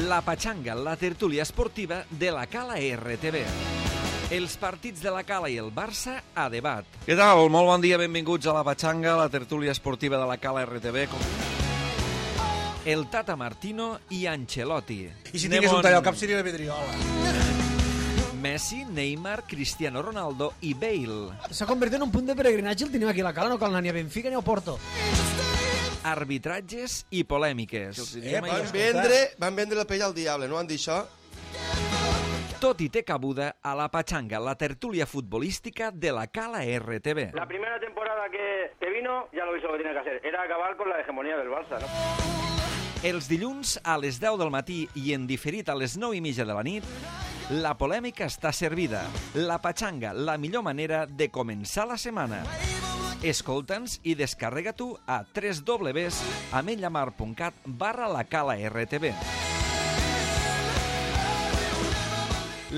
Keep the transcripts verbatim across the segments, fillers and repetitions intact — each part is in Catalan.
La Patxanga, la tertúlia esportiva de la Cala R T V. Els partits de la Cala i el Barça a debat. Què tal? Molt bon dia, benvinguts a La Patxanga, la tertúlia esportiva de la Cala R T V. El Tata Martino i Ancelotti. I si tingués un tall al cap seria la Vidriola. Messi, Neymar, Cristiano Ronaldo i Bale. S'ha convertit en un punt de peregrinatge el tenim aquí a la Cala, no cal anar ni a Benfica ni a Porto. Arbitratges i polèmiques. Eh, van, vendre, van vendre la pell al diable, no han dit això? Tot i té cabuda a La Patxanga, la tertúlia futbolística de la Cala R T V. La primera temporada que, que vino, ya lo hizo lo que tenía que hacer, era acabar con la hegemonía del Barça, ¿no? Els dilluns a les deu del matí i en diferit a les nou i mitja de la nit, la polèmica està servida. La Patxanga, la millor manera de començar la setmana. Escolta'ns i descarrega-t'ho a w w w punt ametlllamar punt cat barra la Cala R T V.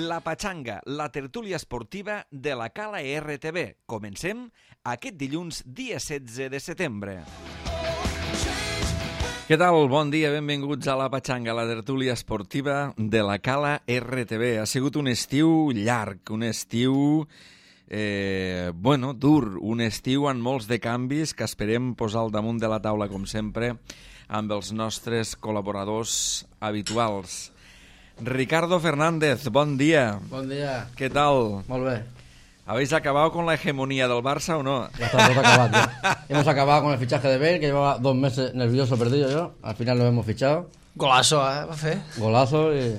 La Patxanga, la tertúlia esportiva de la Cala R T V. Comencem aquest dilluns, dia setze de setembre. Què tal? Bon dia, benvinguts a La Patxanga, la tertúlia esportiva de la Cala R T V. Ha sigut un estiu llarg, un estiu, eh, bueno, dur, un estiu amb molts de canvis que esperem posar al damunt de la taula, com sempre, amb els nostres col·laboradors habituals. Ricardo Fernández, bon dia. Bon dia. Què tal? Molt bé. ¿Habéis acabado con la hegemonía del Barça o no? Ya está todo acabado. Ya. Hemos acabado con el fichaje de Bale, que llevaba dos meses nervioso perdido yo. Al final lo hemos fichado. Golazo, eh, va fer. Golazo y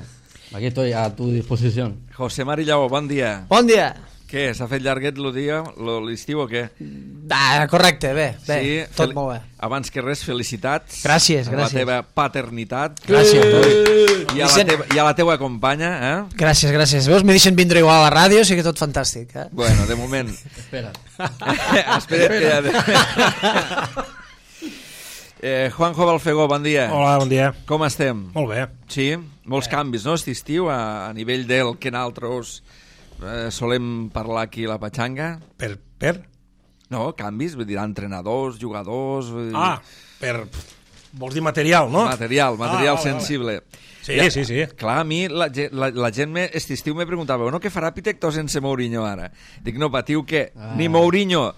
aquí estoy a tu disposición. José Marillau, bon dia. Bon dia. Què, s'ha fet llarguet el dia, l'estiu o què? Ah, correcte, bé, bé, Sí, tot fel- molt bé. Abans que res, felicitats. Gràcies, a la gràcies. teva paternitat. Gràcies. I a la, Vicent- teva, i a la teua companya, eh? Gràcies, gràcies. Veus, me deixen vindre igual a la ràdio, sí que tot fantàstic, eh? Bueno, de moment... Espera. Espera't que ja... eh, Juanjo Balfegó, bon dia. Hola, bon dia. Com estem? Molt bé. Sí? Molts canvis, no, aquest estiu, a, a nivell del que nosaltres eh, solem parlar aquí a La Patxanga. Per? Per? No, canvis, vull dir, entrenadors, jugadors... Vull dir, Ah, per... Vols dir material, no? Material, material Ah, vale, sensible. Sí, sí, sí. Clar, a mi la, ge- la, la gent me, este estiu me preguntava, bueno, què farà Pitecto sense Mourinho ara? Dic, no, patiu que Ah. ni Mourinho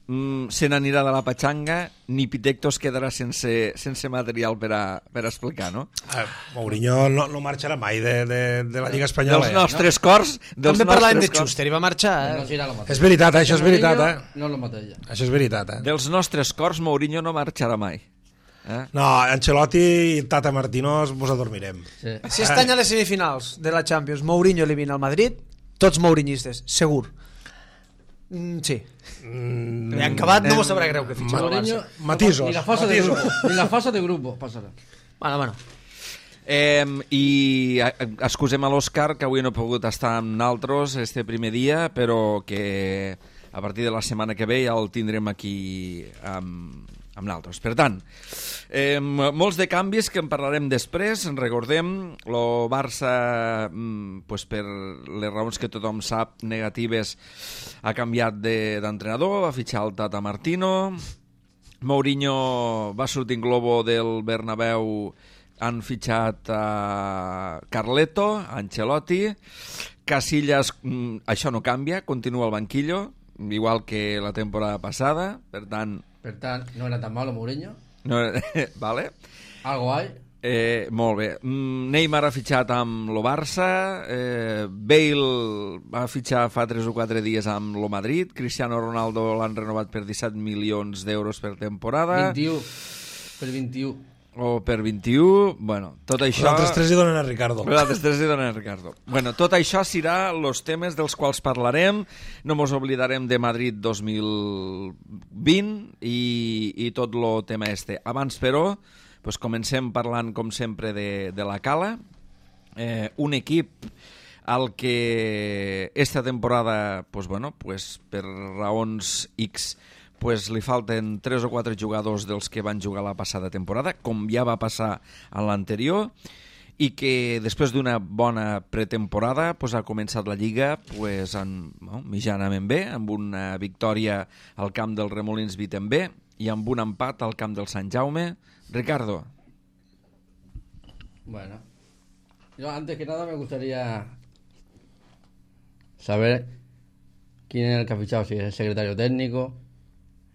mm, se n'anirà de La Patxanga, ni Pitecto es quedarà sense, sense material per a, per a explicar, no? Ah, Mourinho no, no marxarà mai de, de, de la Lliga Espanyola. Dels eh? nostres cors... Dels També parlàvem de nostres cors- Schuster i va marxar, No eh? será lo mateix. És veritat, eh? Això és veritat, eh? No lo maté ya. Això és veritat, eh? Dels nostres cors, Mourinho no marxarà mai. Eh? No, Ancelotti i Tata Martino ens adormirem. Sí. Si este any a les semifinals de la Champions Mourinho elimina el Madrid, tots mourinyistes, segur. Mm, sí. Mm, I en acabat no m'ho sabrà greu que fitxa el Mourinho, Barça. Matisos, Ni la fase de matisos. grupo. Ni la fase de grupo pasará. Bueno, bueno. Eh, I eh, excusem a l'Òscar, que avui no ha pogut estar amb naltros este primer dia, però que a partir de la setmana que ve ja el tindrem aquí amb, amb naltros. Per tant, eh, molts de canvis que en parlarem després. En recordem, el Barça, mm, pues per les raons que tothom sap, negatives, ha canviat de- d'entrenador, va fitxar el Tata Martino. Mourinho va sortir en globo del Bernabéu, han fitxat a Carleto, a Ancelotti. Casillas, mm, això no canvia, continua al banquillo, igual que la temporada passada, per tant... Per tant, no era tan malo Mourinho. No, vale. Algo hay. Eh, molt bé. Mm, Neymar ha fitxat amb lo Barça, eh, Bale va fitxar fa tres o quatre dies amb lo Madrid, Cristiano Ronaldo l'han renovat per disset milions d'euros per temporada, vint-i-u. Per vint-i-u. o per vint-i-u, bueno, tot Els això... altres tres hi donen a Ricardo. Els altres tres hi donen a Ricardo. Bueno, tot això serà els temes dels quals parlarem. No mos oblidarem de Madrid dos mil vint i, i tot el tema este. Abans, però, pues comencem parlant, com sempre, de, de la Cala. Eh, un equip al que esta temporada, pues, bueno, pues, per raons X, pues li falten tres o quatre jugadors dels que van jugar la passada temporada, com ja va passar a l'anterior, i que després d'una bona pretemporada pues, ha començat la Lliga pues, en, no, mitjanament bé, amb una victòria al camp del Remolins Vitember i amb un empat al camp del Sant Jaume. Ricardo. Bueno, Yo antes que nada me gustaría saber quién es el que ha fichado, si es el secretario técnico.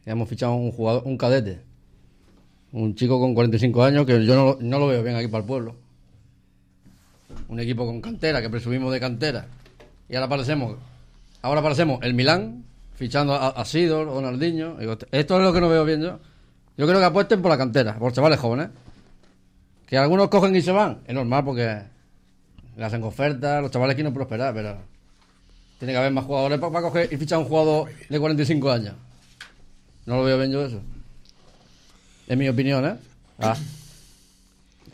Hemos fichado un jugador, un cadete, un chico con cuarenta y cinco años que yo no, no lo veo bien aquí para el pueblo. Un equipo con cantera, que presumimos de cantera. Y ahora parecemos, ahora parecemos el Milán, fichando a, a Sidor, Ronaldinho. Digo, esto es lo que no veo bien yo. Yo creo que apuesten por la cantera, por chavales jóvenes. Que algunos cogen y se van, es normal porque le hacen ofertas, los chavales quieren prosperar, pero tiene que haber más jugadores para, para coger y fichar a un jugador de cuarenta y cinco años. No lo veo bien yo eso. Es mi opinión, ¿eh? Ah,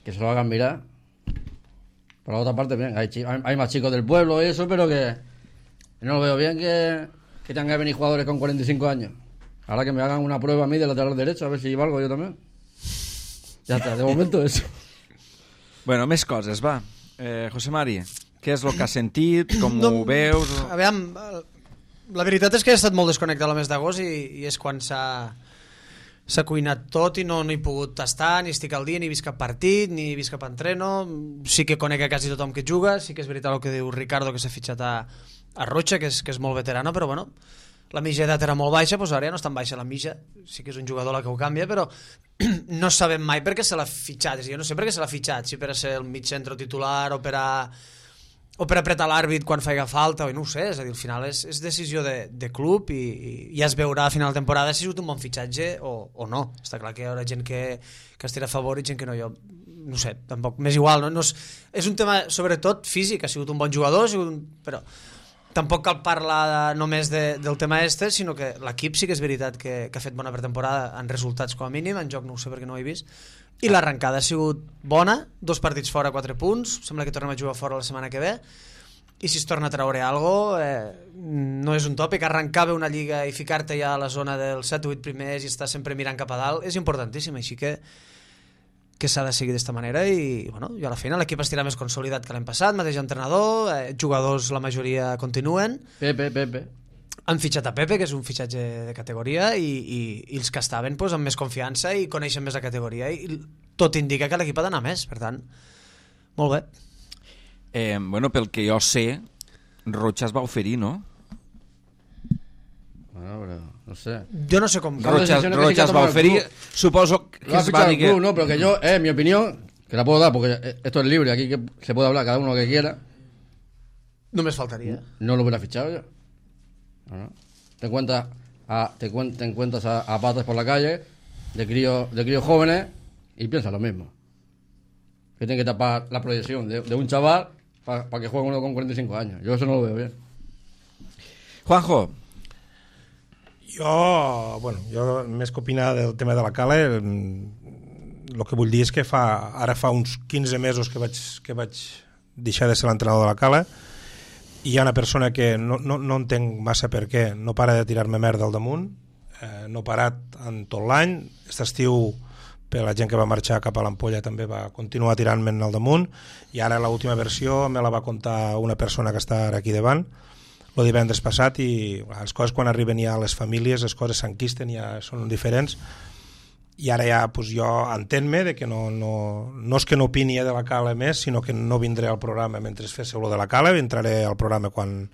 que se lo hagan mirar. Por la otra parte, bien, hay, hay, hay más chicos del pueblo y eso, pero que no lo veo bien que, que tengan que venir jugadores con cuarenta y cinco años. Ahora que me hagan una prueba a mí de lateral derecho, a ver si valgo yo también. Ja està, de momento eso. Bueno, més coses, va. Eh, José Mari, què és el que has sentit? Com No, ho veus? A veure, la veritat és que he estat molt desconnectat el mes d'agost i, i és quan s'ha s'ha cuinat tot i no, no he pogut tastar, ni estic al dia, ni he vist cap partit, ni he vist cap entreno. Sí que conec a quasi tothom que juga, sí que és veritat el que diu Ricardo, que s'ha fitxat a, a Rocha, que és, que és molt veterano, però bueno, la mitja d'edat era molt baixa, doncs ara ja no és tan baixa la mitja, sí que és un jugador la que ho canvia, però no sabem mai per què se l'ha fitxat. Jo no sé per què se l'ha fitxat, si per a ser el mig centre titular o per a, o per apretar l'àrbit quan faiga falta, o no ho sé, és a dir, al final és, és decisió de, de club i, i ja es veurà a final de temporada si ha sigut un bon fitxatge o, o no. Està clar que hi haurà gent que, que es tira a favor i gent que no. Jo no sé, tampoc, m'és igual, no? No és, és un tema sobretot físic, ha sigut un bon jugador, ha sigut un, però tampoc cal parlar només de, del tema este, sinó que l'equip sí que és veritat que, que ha fet bona pretemporada en resultats com a mínim, en joc no ho sé perquè no ho he vist, i l'arrencada ha sigut bona, dos partits fora, quatre punts, sembla que tornem a jugar fora la setmana que ve, i si es torna a treure alguna cosa, eh, no és un tòpic, arrencar bé una lliga i ficar-te ja a la zona dels set o vuit primers i estar sempre mirant cap a dalt és importantíssim, així que que s'ha de seguir d'esta manera i, bueno, i a la final l'equip estirà més consolidat que l'any passat, mateix entrenador, eh, jugadors la majoria continuen. Pepe, Pepe. Han fitxat a Pepe, que és un fitxatge de categoria, i, i, i els que estaven pues, amb més confiança i coneixen més la categoria, i tot indica que l'equip ha d'anar més, per tant, molt bé. Eh, bueno, pel que jo sé, Rocha es va oferir, no? Bueno, pero no sé. Yo no sé com... Rocha, Rocha es va oferir, suposo que lo es va dir que... club, no, pero que yo, eh, mi opinión, que la puedo dar porque esto es libre, aquí que se puede hablar cada uno lo que quiera. Només faltaria. No lo hubiera fichado yo. No, no. Te encuentras a, te, cuen, te encuentras a, a patas por la calle de críos, de críos jóvenes y piensas lo mismo. Que tienen que tapar la proyección de, de un chaval para pa que juegue uno con cuarenta y cinco años. Yo eso no lo veo bien. Juanjo. Jo, bueno, jo més que opinar del tema de la Cala, el que vull dir és que fa, ara fa uns quinze mesos que vaig, que vaig deixar de ser l'entrenador de la Cala i hi ha una persona que no, no, no entenc massa per què no para de tirar-me merda al damunt, eh, no ha parat en tot l'any, aquest estiu per la gent que va marxar cap a l'Ampolla també va continuar tirant-me'n al damunt i ara l'última versió me la va contar una persona que està aquí davant el divendres passat i les coses quan arriben ja a les famílies, les coses s'enquisten, ja són diferents i ara ja pues, jo entenc-me de que no, no, no és que no opini de la Cala més, sinó que no vindré al programa mentre féssiu lo de la Cala, entraré al programa quan,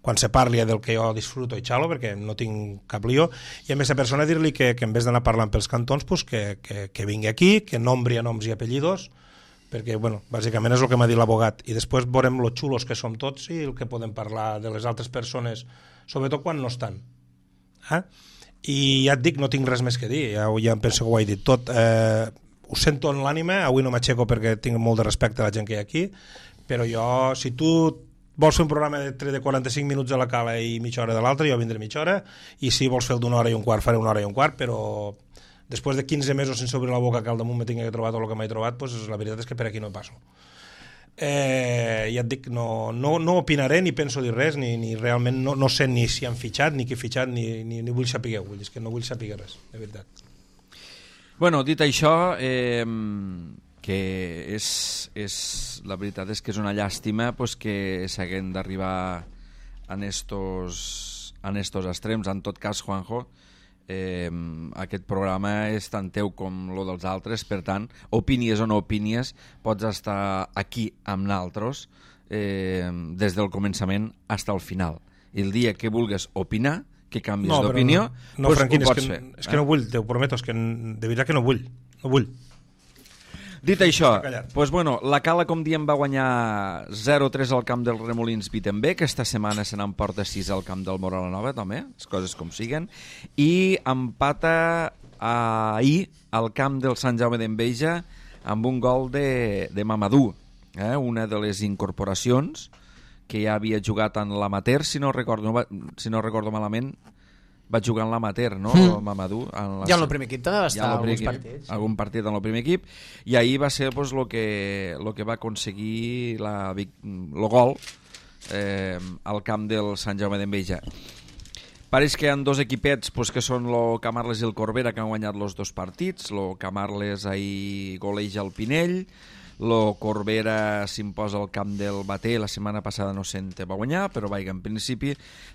quan se parli del que jo disfruto i xalo, perquè no tinc cap lío, i a més a persona dir-li que, que en vez d'anar parlant pels cantons pues, que, que, que vingui aquí, que nombri a noms i apellidos, perquè, bueno, bàsicament és el que m'ha dit l'abogat i després veurem lo xulos que som tots i el que podem parlar de les altres persones sobretot quan no estan eh? I ja et dic, no tinc res més que dir ja, ja em penso que ho he dit tot eh, ho sento en l'ànima, avui no m'aixeco perquè tinc molt de respecte a la gent que hi ha aquí però jo, si tu vols fer un programa de, de quaranta-cinc minuts a la Cala i mitja hora de l'altra, jo vindré mitja hora i si vols fer el d'una hora i un quart, faré una hora i un quart però després de quinze mesos sense obrir la boca que al damunt me tingui que trobar tot el que m'he trobat, pues, la veritat és que per aquí no passo. Eh, ja et dic, no, no, no opinaré ni penso dir res, ni, ni realment no, no sé ni si han fitxat, ni qui ha fitxat, ni, ni, ni vull saber, vull dir, és que no vull saber res, de veritat. Bueno, dit això, eh, que és, és, la veritat és que és una llàstima pues, que s'haguem d'arribar en estos, en estos extrems. En tot cas, Juanjo, eh, aquest programa és tant teu com lo dels altres, per tant, opinies o no opinies, pots estar aquí amb naltros eh, des del començament fins al final. I el dia que vulgues opinar, que canvies no, d'opinió, no, no, pues Franquín, ho pots és que, fer. És que eh? no vull, t'ho prometo, és que de veritat que no vull. No vull. Dit això, pues bueno, la Cala, com diem, va guanyar zero tres al camp del Remolins Wittenberg, aquesta setmana se n'emporta sis al camp del Moralanova, també, les coses com siguen, i empata ahir al camp del Sant Jaume d'Enveja amb un gol de, de Mamadou, eh? Una de les incorporacions que ja havia jugat en l'amateur, si no recordo, si no recordo malament, va jugar en l'amateur, no, mm. Mamadou? En la... Ja en el primer equip també va estar ja alguns equip, partits. Algun partit en el primer equip, i ahir va ser pues, lo que, lo que va aconseguir la, el gol eh, al camp del Sant Jaume d'Enveja. Pareix que hi ha dos equipets pues, que són el Camarles i el Corbera, que han guanyat els dos partits. El Camarles ahir goleja el Pinell, el Corbera s'imposa al camp del Bater, la setmana passada no se'n va guanyar, però vaig, en principi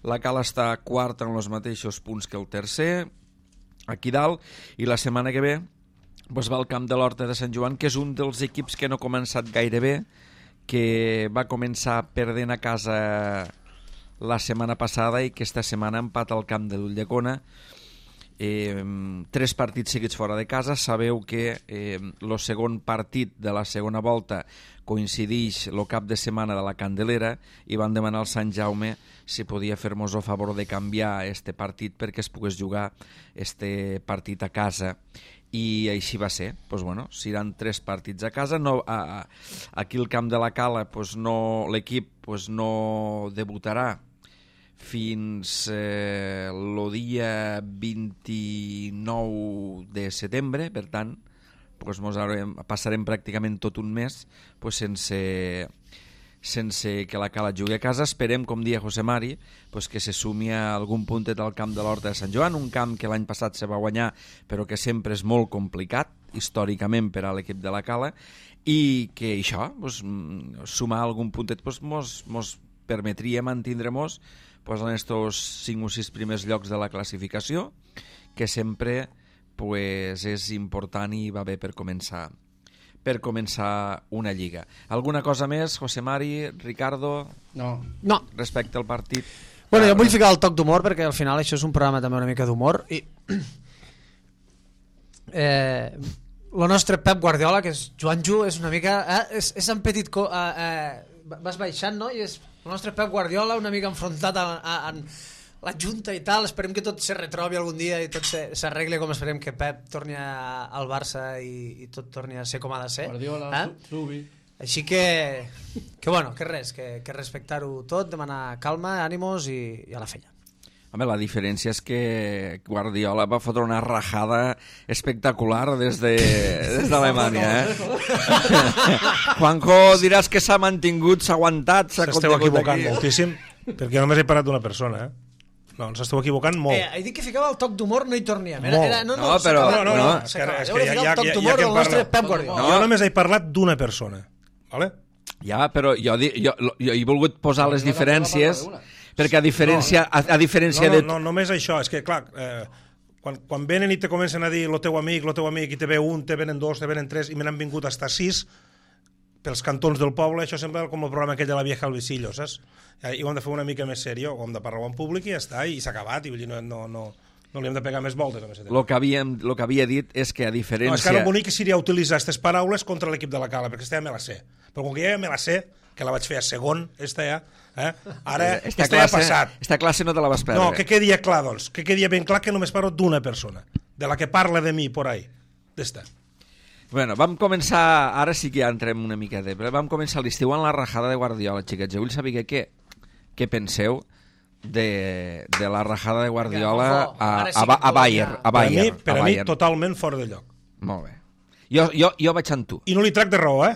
la Cala està quarta en els mateixos punts que el tercer, aquí dalt, i la setmana que ve pues, va al camp de l'Horta de Sant Joan, que és un dels equips que no ha començat gaire bé, que va començar perdent a casa la setmana passada i que esta setmana empata al camp de l'Ulldecona. Eh, tres partits seguits fora de casa. Sabeu que el eh, segon partit de la segona volta coincideix el cap de setmana de la Candelera i van demanar al Sant Jaume si podia fer-nos el favor de canviar este partit perquè es pogués jugar este partit a casa, i així va ser. Pues bueno, seran tres partits a casa. No, a, a, aquí al camp de la Cala pues no, l'equip pues no debutarà fins eh, el dia vint-i-nou de setembre, per tant pues, mos haurem, passarem pràcticament tot un mes pues, sense, sense que la Cala jugui a casa. Esperem, com dia José Mari, pues, que se sumi a algun puntet al camp de l'Horta de Sant Joan, un camp que l'any passat se va guanyar però que sempre és molt complicat històricament per a l'equip de la Cala, i que això, pues, sumar algun puntet pues, mos, mos permetria mantindre-mos pues, en estos cinc o sis primers llocs de la classificació, que sempre pues, és important i va bé per començar per començar una lliga. Alguna cosa més, José Mari, Ricardo? No. No. Respecte al partit? Bueno, jo vull ficar el toc d'humor perquè al final això és un programa també una mica d'humor i eh, el nostre Pep Guardiola, que és Joanjo, és una mica eh, és, és en petit co eh, eh, vas baixant, no? I és el nostre Pep Guardiola una mica enfrontat a, a, a la Junta i tal. Esperem que tot se retrobi algun dia i tot s'arregle, com esperem que Pep torni a, al Barça i, i tot torni a ser com ha de ser. Guardiola, eh? Subi. Així que, que bueno, que res, que, que respectar-ho tot, demanar calma, ànimos i, i a la feina. Home, la diferència és que Guardiola va fotre una rajada espectacular des de des d'Alemanya, eh? Juanjo, diràs que s'ha mantingut, s'ha aguantat, s'ha s'esteu equivocant aquí. moltíssim, perquè només he parlat d'una persona, eh? No, ens esteu equivocant molt. Eh, he dit que ficava el toc d'humor, no hi torníem. Era, Molt. era, no, no, No, però- s'acaba, No, no, no, és que, s'acaba. és Jo que volia ja, ficar ja, el toc ja, d'humor ja que del en nostre parlo. Pep Guardiola. No. Jo només he parlat d'una persona, vale? Ja, però jo, di- jo, jo he volgut posar les diferències, perquè a diferència, a, a diferència No, no, de... no, només això, és que clar, eh, quan, quan venen i te comencen a dir lo teu amic, lo teu amic, i te ve un, te venen dos, te venen tres, i me n'han vingut hasta sis, pels cantons del poble, això sembla com el programa aquell de la vieja al visillo, saps? I ho hem de fer una mica més seriós, ho hem de parlar en públic i ja està, i s'ha acabat, i vull dir, no, no, no, no li hem de pegar més voltes a més. Lo que, havíem, lo que havia dit és que a No, és que diferència... ara el bonic seria utilitzar aquestes paraules contra l'equip de la Cala, perquè aquesta ja me la sé. Però com que ja me la sé, que la vaig fer a segon, esta ja, eh? ara Esta esta ja ha classe, passat. esta classe no te la vas perdre. No, que quedi ja clar, doncs, que quedi ben clar que només parlo d'una persona, de la que parla de mi por ahí. D'esta. Bueno, vam començar, ara sí que ja entrem una mica de... Vam començar l'estiu en la rajada de Guardiola, xiquets. Jo vull saber què, què penseu de, de la rajada de Guardiola a, a, a, a Bayern. A Per a mi, Bayern, per a a mi Bayern. totalment fora de lloc. Molt bé. Jo, jo, jo vaig amb tu. I no li trac de raó, eh?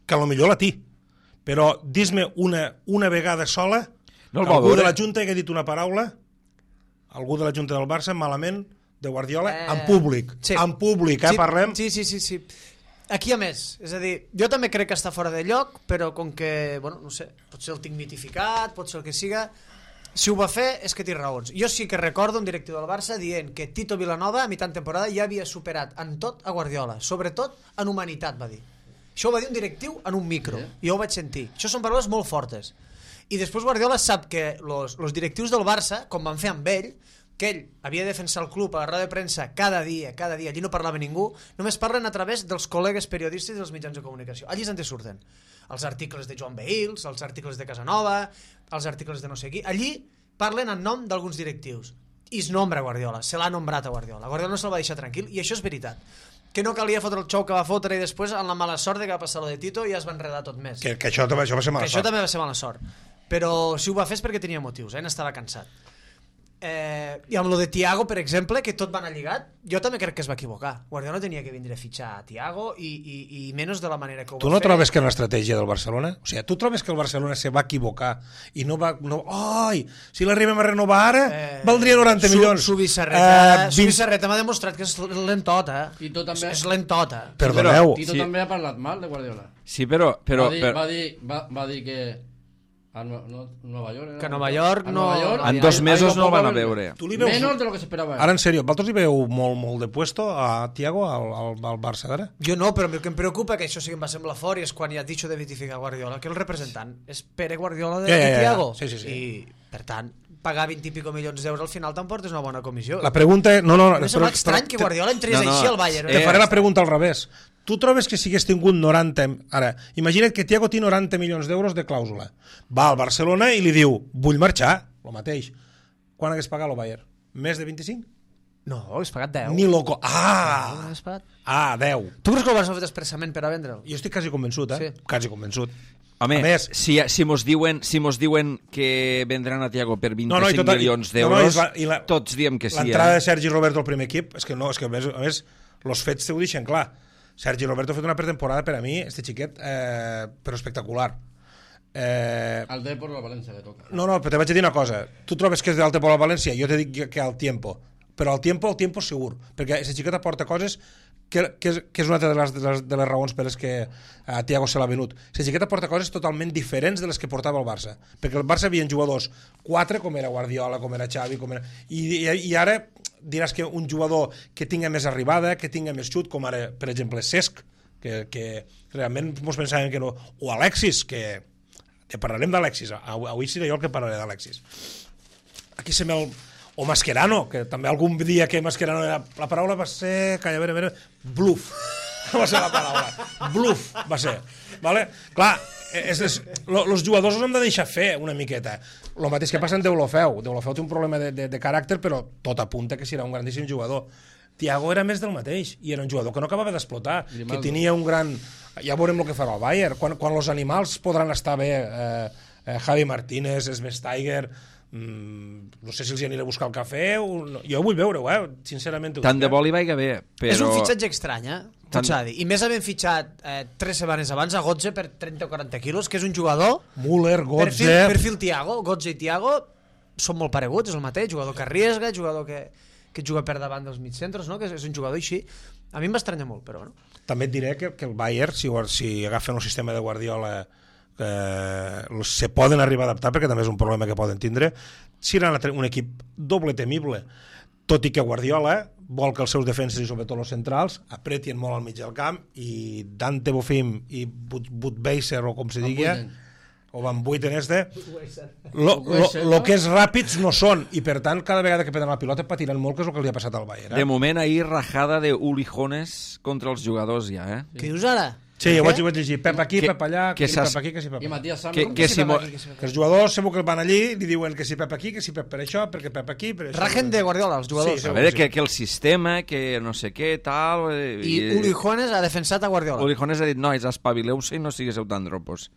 Que potser la té. Però dis-me una, una vegada sola No el que va algú veure. de la Junta hagi dit una paraula, algú de la Junta del Barça, malament, de Guardiola, Eh, en públic. sí. En públic, eh, Sí, parlem. Sí, sí, sí, sí. Aquí a més, és a dir, jo també crec que està fora de lloc, però com que, bueno, no sé, potser el tinc mitificat, pot ser el que siga, Si ho va fer és que té raons. Jo sí que recordo un directiu del Barça dient que Tito Vilanova a mitjan temporada ja havia superat en tot a Guardiola, sobretot en humanitat, va dir. Això ho va dir un directiu en un micro, i jo ho vaig sentir. Això són paraules molt fortes. I després Guardiola sap que els directius del Barça, com van fer amb ell, que ell havia de defensar el club a la roda de premsa cada dia, cada dia, allí no parlava ningú, només parlen a través dels col·legues periodistes i dels mitjans de comunicació. Allí és on te surten els articles de Joan Behils, els articles de Casanova, els articles de no sé qui. Allí parlen en nom d'alguns directius. I es nombra Guardiola, se l'ha nombrat a Guardiola. Guardiola no se'l va deixar tranquil, i això és veritat. Que no calia fotre el xou que va fotre i després, amb la mala sort de que va passar lo de Tito, ja es va enredar tot més. Que, que això, això va ser mala que sort. això també va ser mala sort. Però si ho va fer és perquè tenia motius, eh? N'estava cansat. Eh, I amb lo de Thiago, per exemple, que tot va anar lligat, jo també crec que es va equivocar. Guardiola no tenia que vindre a fitxar a Thiago i, i, i menys de la manera que ho Tu va no fer. trobes que en l'estratègia del Barcelona, o sigui, tu trobes que el Barcelona se va equivocar i no va... No, ai, si l'arribem a renovar ara, Eh, valdria noranta Su- milions. Subissarreta, Eh, vint- Subissarreta m'ha demostrat que és lentota. Tito també- És, és lentota. Perdoneu. Tito Sí. també ha parlat mal de Guardiola. Sí, però... però, va, dir, però va, dir, va, va dir que a Nue- no, Nueva York era, Que a Nova York a no- Nueva York, en ahí- dos ahí mesos lo no van a poco- veure. Tu li veus... Menos de lo que se esperaba. Ara, en sèrio, vosaltres li veu molt, molt de puesto a Thiago, al, al, al Barça d'ara? Jo no, però el que em preocupa, que això sí que em va semblar fort, i és quan hi ha dicho de vitificar Guardiola, que el representant és Pere Guardiola de, Ja, ja, ja, de Thiago. sí, sí, sí. I, per tant, pagar vint i pico milions d'euros al final t'emportes una bona comissió. La pregunta... No, no, Em sembla estrany que Guardiola entrés No, no, així al Bayern. Te Eh, faré la pregunta al revés. Tu trobes que si hagués tingut noranta... Ara, imagina't que Thiago té noranta milions d'euros de clàusula. Va al Barcelona i li diu, vull marxar, el mateix. Quan hagués pagat el Bayern? Més de vint-i-cinc? No, hagués pagat deu. Ni loco. Ah! Hagués pagat. Ah, deu. Tu creus que el Barça ho ha fet expressament per a vendre'l? Jo estic quasi convençut, eh? Sí. Quasi convençut. Home, A més- si, si mos diuen, si mos diuen que vendran a Thiago per vint-i-cinc No, no, i tot- milions no, no, d'euros, i la- i la- tots diem que sí. L'entrada Eh? de Sergi Roberto al primer equip, és que no, és que a més, a més els fets t'ho deixen clar. Sergi Roberto ha fet una pretemporada per a mi, este xiquet, eh, però espectacular. Eh, Al Depor o a Valencia le toca. no, no, però te vaig a dir una cosa. Tu trobes que és del Depor a València? Jo te dic que al tiempo. Però al tiempo, al tiempo segur. Perquè aquesta xiqueta aporta coses que, que, és, que és una altra de les, de les, de les raons per les que a Thiago se l'ha venut. La xiqueta porta coses totalment diferents de les que portava el Barça. Perquè el Barça havia jugadors quatre, com era Guardiola, com era Xavi, com era... I, i, i ara diràs que un jugador que tinga més arribada, que tinga més xut, com ara, per exemple, Cesc, que, que realment mos pensaven que no... O Alexis, que... que parlarem d'Alexis. Avui seré jo el que parlaré d'Alexis. Aquí se me el... O Mascherano, que també algun dia que Mascherano era... La paraula va ser... Calla, a veure, a veure... Bluff. Va ser la paraula. Bluff va ser. Vale? Clar, és, és, lo, los jugadors els hem de deixar fer una miqueta. El mateix que passa en Deulofeu. Deulofeu té un problema de, de, de caràcter, però tot apunta que serà un grandíssim jugador. Thiago era més del mateix, i era un jugador que no acabava d'explotar, que tenia un gran... Ja veurem el que farà el Bayern. Quan, quan els animals podran estar bé, eh, eh, Javi Martínez, Svesteiger... Mm, no sé si els hi aniré a buscar el cafè o no. Jo vull veure-ho, eh? Sincerament. Tant de bo li vaiga bé, però... És un fitxatge estrany, eh? Tant- Tot s'ha de dir. I més havent fitxat eh, tres setmanes abans a Götze per trenta o quaranta quilos, que és un jugador... Müller, Perfil, Götze... perfil Thiago, Götze i Thiago són molt pareguts, és el mateix, jugador que arriesga, jugador que, que juga per davant dels mitjcentres, no? Que és, és un jugador així. A mi em va estranyar molt, però bueno. També et diré que, que el Bayern, si, si agafen el sistema de Guardiola, eh, se poden arribar a adaptar, perquè també és un problema que poden tindre, seran un equip doble temible, tot i que Guardiola vol que els seus defenses i sobretot els centrals apretien molt al mig del camp, i Dante Bofim i Budweiser, o com se digui, o Van Buiten este, lo, lo, lo que és ràpids no són, i per tant cada vegada que prenen la pilota patiran molt, que és el que li ha passat al Bayern. Eh? De moment, ahir rajada de Ulijones contra els jugadors ja, eh? Què dius ara? Sí, ho vaig, ho vaig llegir, pep aquí, Que- pep allà, que que si s'has- pep aquí, que si pep Y allà. Matías Sam, Que, ¿no? que si mo... Que els jugadors segur que van allí i li diuen que si pep aquí, que si pep per això, perquè pep aquí, per això... Rajen de Guardiola, els jugadors. Sí, A veure, que, que el sistema, que no sé què, tal... eh, I Uli Juanes ha defensat a Guardiola. Ulijones ha dit, nois, espavileu-se i no sigueu tan dropos.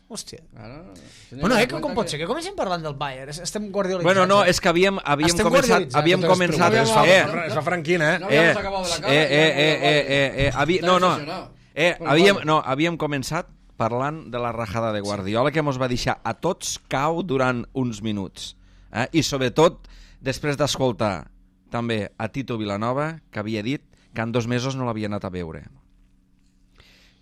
Hòstia. Claro, tenía Bueno, que eh, dar com, cuenta com pot que- ser? Que comencem parlant del Bayern. Es- Estem guardiolitzats. Bueno, no, eh? és que havíem, havíem Estem començat... guardiolitzats, Havíem No te les començat... preocupes, es fa, Eh, es fa franquina, eh? No eh, habíamos acabado de la cara. eh, y ya eh, hemos eh, acabado. eh, eh, eh, havi... Está No, no, obsesionado. eh, Con havíem, Guardiola. no, havíem començat parlant de la rajada de Guardiola, que mos va deixar a tots cau durant uns minuts. Eh? I sobretot, després d'escoltar també a Tito Vilanova, que havia dit que en dos mesos no l'havia anat a veure.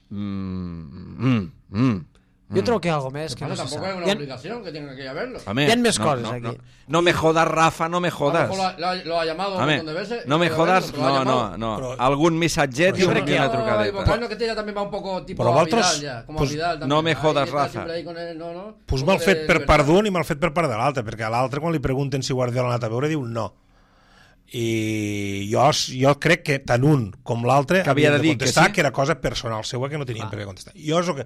Mm, mm, mm. Jo trobo que hi ha alguna més que Pero no se tampoco sap. es una Hi ha- obligación que tenga que ir a verlo. Home, Hi ha més no, coses no, aquí. No, no me jodas, Rafa, no me A lo jodas. mejor lo ha- lo ha llamado un Home, montón de veces. y no me quiere verlo, jodas, pero lo ha no, no, llamado. no. Però- Algun missatget Però i jo una crec que hi ha- trucadeta. Ivocano, que ella también va un poco tipo Però a vosaltres, Vidal ya, como pues, a Vidal también. no me Ahí jodas, está Rafa. siempre ahí con él, no, no. Pues Un poco mal fet de per libertad. part d'un i mal fet per part de l'altre, perquè a l'altre, quan li pregunten si Guardiola ha anat a veure, diu no. I jo, jo crec que tant un com l'altre Que havia de dir que contestar sí. que era cosa personal seua que no tenien per què contestar. Jo és el que...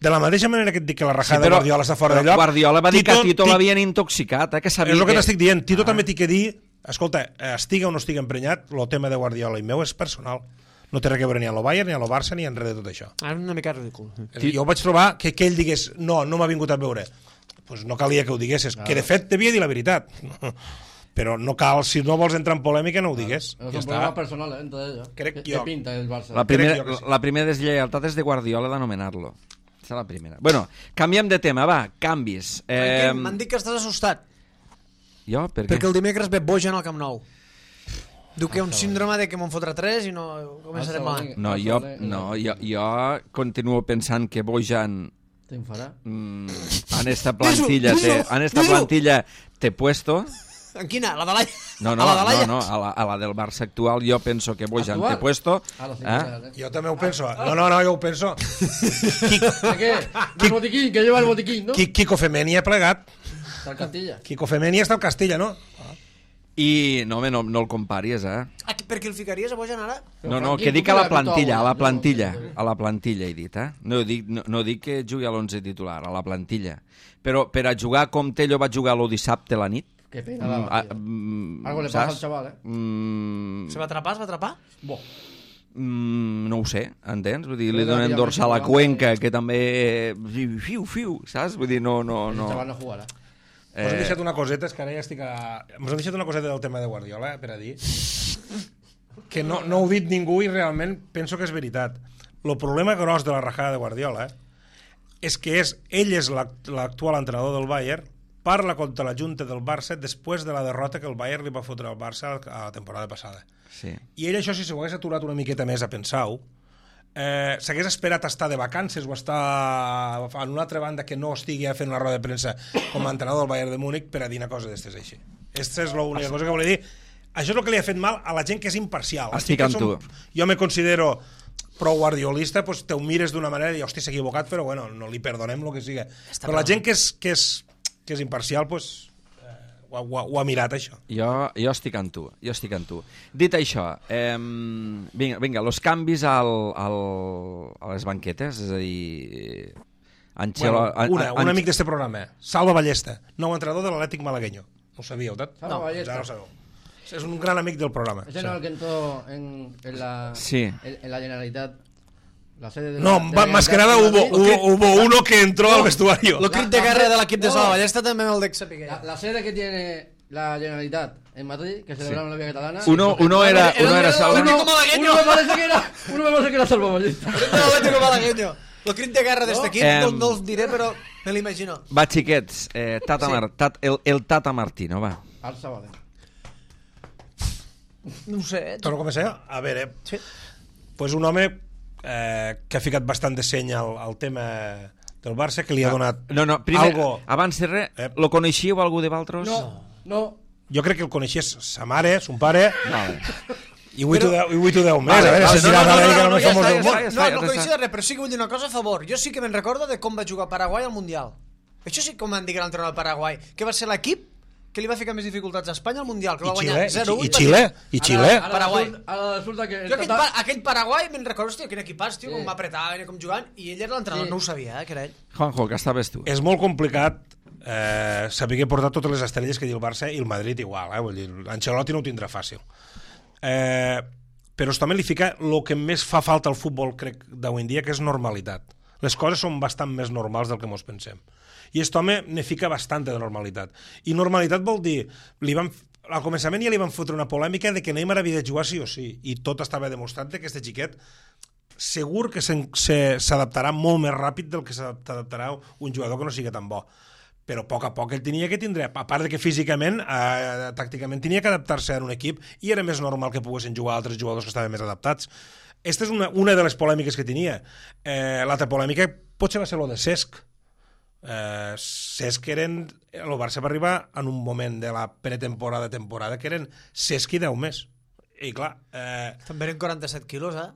De la mateixa manera que et dic que la rajada però- de Guardiola està fora però de lloc... Guardiola va dir que a Tito Ti- l'havien intoxicat, eh, que sabia És el que que... t'estic dient. Tito Ah. també t'hi que dir... Escolta, estiga o no estiga emprenyat, el tema de Guardiola i meu és personal. No té res a veure ni a lo Bayern, ni a lo Barça, ni en res de tot això. Ah, és una mica ridícul. Jo vaig trobar que, que ell digués no, no m'ha vingut a veure. Pues no calia que ho diguessis, que de fet devia dir la veritat. Però no cal, si no vols entrar en polèmica, no ho digues. Pero Ja son problemas està. personales entre ellos. Crec ¿Qué, jo. qué pinta el Barça? La primera, Crec jo que sí. la primera deslleialtat és de Guardiola d'anomenar-lo. Aquesta és la primera. Bueno, canviem de tema, va, canvis. Eh... Eh, M'han dit que estàs assustat, jo, per què? perquè el dimecres ve Bojan al Camp Nou. Diu que hi ha un síndrome de que me'n fotrà tres i no començarem mal. No, jo, no jo, jo continuo pensant que Bojan ¿Te enfadará? mm, en esta plantilla Disu, té, disu, en esta disu. plantilla té puesto. En quina? A la de l'Aia? No, no, a la de no, l'Aia? no, a la, a la del Barça actual jo penso que Bojan Actual? té puesto. Ah, lo sé, Eh? claro. Jo també ho penso. No, no, no, jo ho penso. ¿De qué? ¿Del botiquín? Que lleva el botiquín, ¿no? Qui- Quico Femeni ha plegat. Está en Castilla. Quico Femeni està al Castilla, no? I no, home, no, no el comparis, eh? Ah, per què el ficaries a Bojan ara? No, no, Franquí, que tu dic a la que l'has vist plantilla, a la alguna? plantilla, No, no, no. a la plantilla he dit, eh? No dic, no, no dic que jugui a l'onze titular, a la plantilla. Però per a jugar com Tello va jugar lo dissabte a la nit, Qué pena mm, daba, a, tío. mm, Algo le pasa saps? al chaval, eh? Mm, Se va atrapar, es va atrapar? Buah. mm, no ho sé, entens? Vull dir, li Però donen ja dorsal a Messi Cuenca, que també... Fiu, fiu, saps? Vull dir, no, no, El no... chaval no jugará. Mos hem Eh, deixat una coseta, és que ara ja estic a... Mos hem deixat una coseta del tema de Guardiola, eh, per a dir, que no, no ho ha dit ningú i realment penso que és veritat. El problema gros de la rajada de Guardiola és que és, ell és l'act- l'actual entrenador del Bayern, parla contra la junta del Barça després de la derrota que el Bayern li va fotre al Barça a la temporada passada. sí. I ell això, si s'ho hagués aturat una miqueta més a pensar-ho, eh, s'hagués esperat a estar de vacances o estar en una altra banda que no estigui fent una roda de premsa com a entrenador del Bayern de Múnich per a dir una cosa d'estes així. Aquesta és l'única cosa que volia dir. Això és el que li ha fet mal a la gent que és imparcial. La Estic gent que amb som- Jo me considero prou guardiolista, doncs te ho mires d'una manera i dius, hosti, s'ha equivocat, però bueno, no li perdonem el que sigui. Però la gent que és, que és, que és imparcial, doncs, eh, ho, ha- ho, ha- ho ha mirat, això. Jo, jo estic amb tu, jo estic amb tu. Dit això, eh, vinga, vinga, los canvis al, al, a les banquetes, és a dir... Anxelo, Bueno, una, un amic d'este programa, Salva Ballesta, nou entrenador de l'Atlètic Malagueño. No ho sabíeu, tot? Salva No, Ballesta. ja no ho sabeu. És un gran amic del programa. Ese no es el que entró en, en, la, Sí. en, en la Generalitat. La sede de la, No, de va- la más que nada Generalitat hubo, de Madrid. hubo, hubo uno que entró al vestuario. Lo crit de guerra de l'equip de Sala Ballesta també me'l dec saber. La, la sede que tiene la Generalitat en Madrid, que celebraron la Vía Catalana. Uno, uno era, uno era Salva... Atlético Malagueño. Uno me parece que era, uno me parece que era Salva Ballesta. L'Atlético Malagueño. El crit de guerra d'este equip Em. no, no els diré, però me l'imagino. Va, xiquets, eh, Tata Sí. Mar, tat, el, el Tata Martino, va. Al Sabadell. No ho sé. eh? Torno a començar? A veure, Sí. pues un home eh, que ha ficat bastant de seny al, al tema del Barça, que li ha donat No, no, primer, algo... abans de res, Eh. lo coneixíeu algú de Valtros? No, no. Jo crec que el coneixies sa mare, son pare, Vale. i avui t'ho deu- i avui t'ho deu més. Vale, a veure, vale, si no, diràs no, ara no, que no, el no, més ja famós està, del ja món. està. No, no ja coneixia està. res, però sí que vull dir una cosa a favor. Jo sí que me'n recordo de com va jugar Paraguai al Mundial. Això sí que m'han dit que era l'entrenador del Paraguai, que va ser l'equip que li va ficar més dificultats a Espanya al Mundial, que I va guanyar Xile, zero i, u. i Xile, i Xile. Ara, ara, Paraguai. resulta, ara resulta que... Jo aquell, Tata- pa aquell Paraguai me'n recordo, hòstia, quin equipàs, tio, Sí. com m'apretava, com jugant, i ell era l'entrenador, Sí. no ho sabia, eh, que era ell. Juanjo, que estaves tu. És molt complicat eh, saber portar totes les estrelles que diu el Barça i el Madrid igual, eh? Vull dir, Ancelotti no ho tindrà fàcil. Eh, però també li fica el que més fa falta al futbol, crec, d'avui en dia, que és normalitat. Les coses són bastant més normals del que mos pensem. I aquest home ne fica bastant de normalitat. I normalitat vol dir... Li van, al començament ja li van fotre una polèmica de que Neymar havia de jugar sí o sí, i tot estava demostrat que aquest xiquet segur que s'en- se- s'adaptarà molt més ràpid del que s'adaptarà un jugador que no sigui tan bo. Però a poc a poc ell tenia que tindre, a part de que físicament, eh, tàcticament, tenia que adaptar-se a un equip i era més normal que poguessin jugar altres jugadors que estaven més adaptats. Aquesta és una, una de les polèmiques que tenia. Eh, L'altra polèmica potser va ser lo de Cesc, Eh, Cesc eren... El Barça va arribar en un moment de la pretemporada, temporada, que eren Cesc i deu més. I clar... Eh... També eren quaranta-set quilos, eh?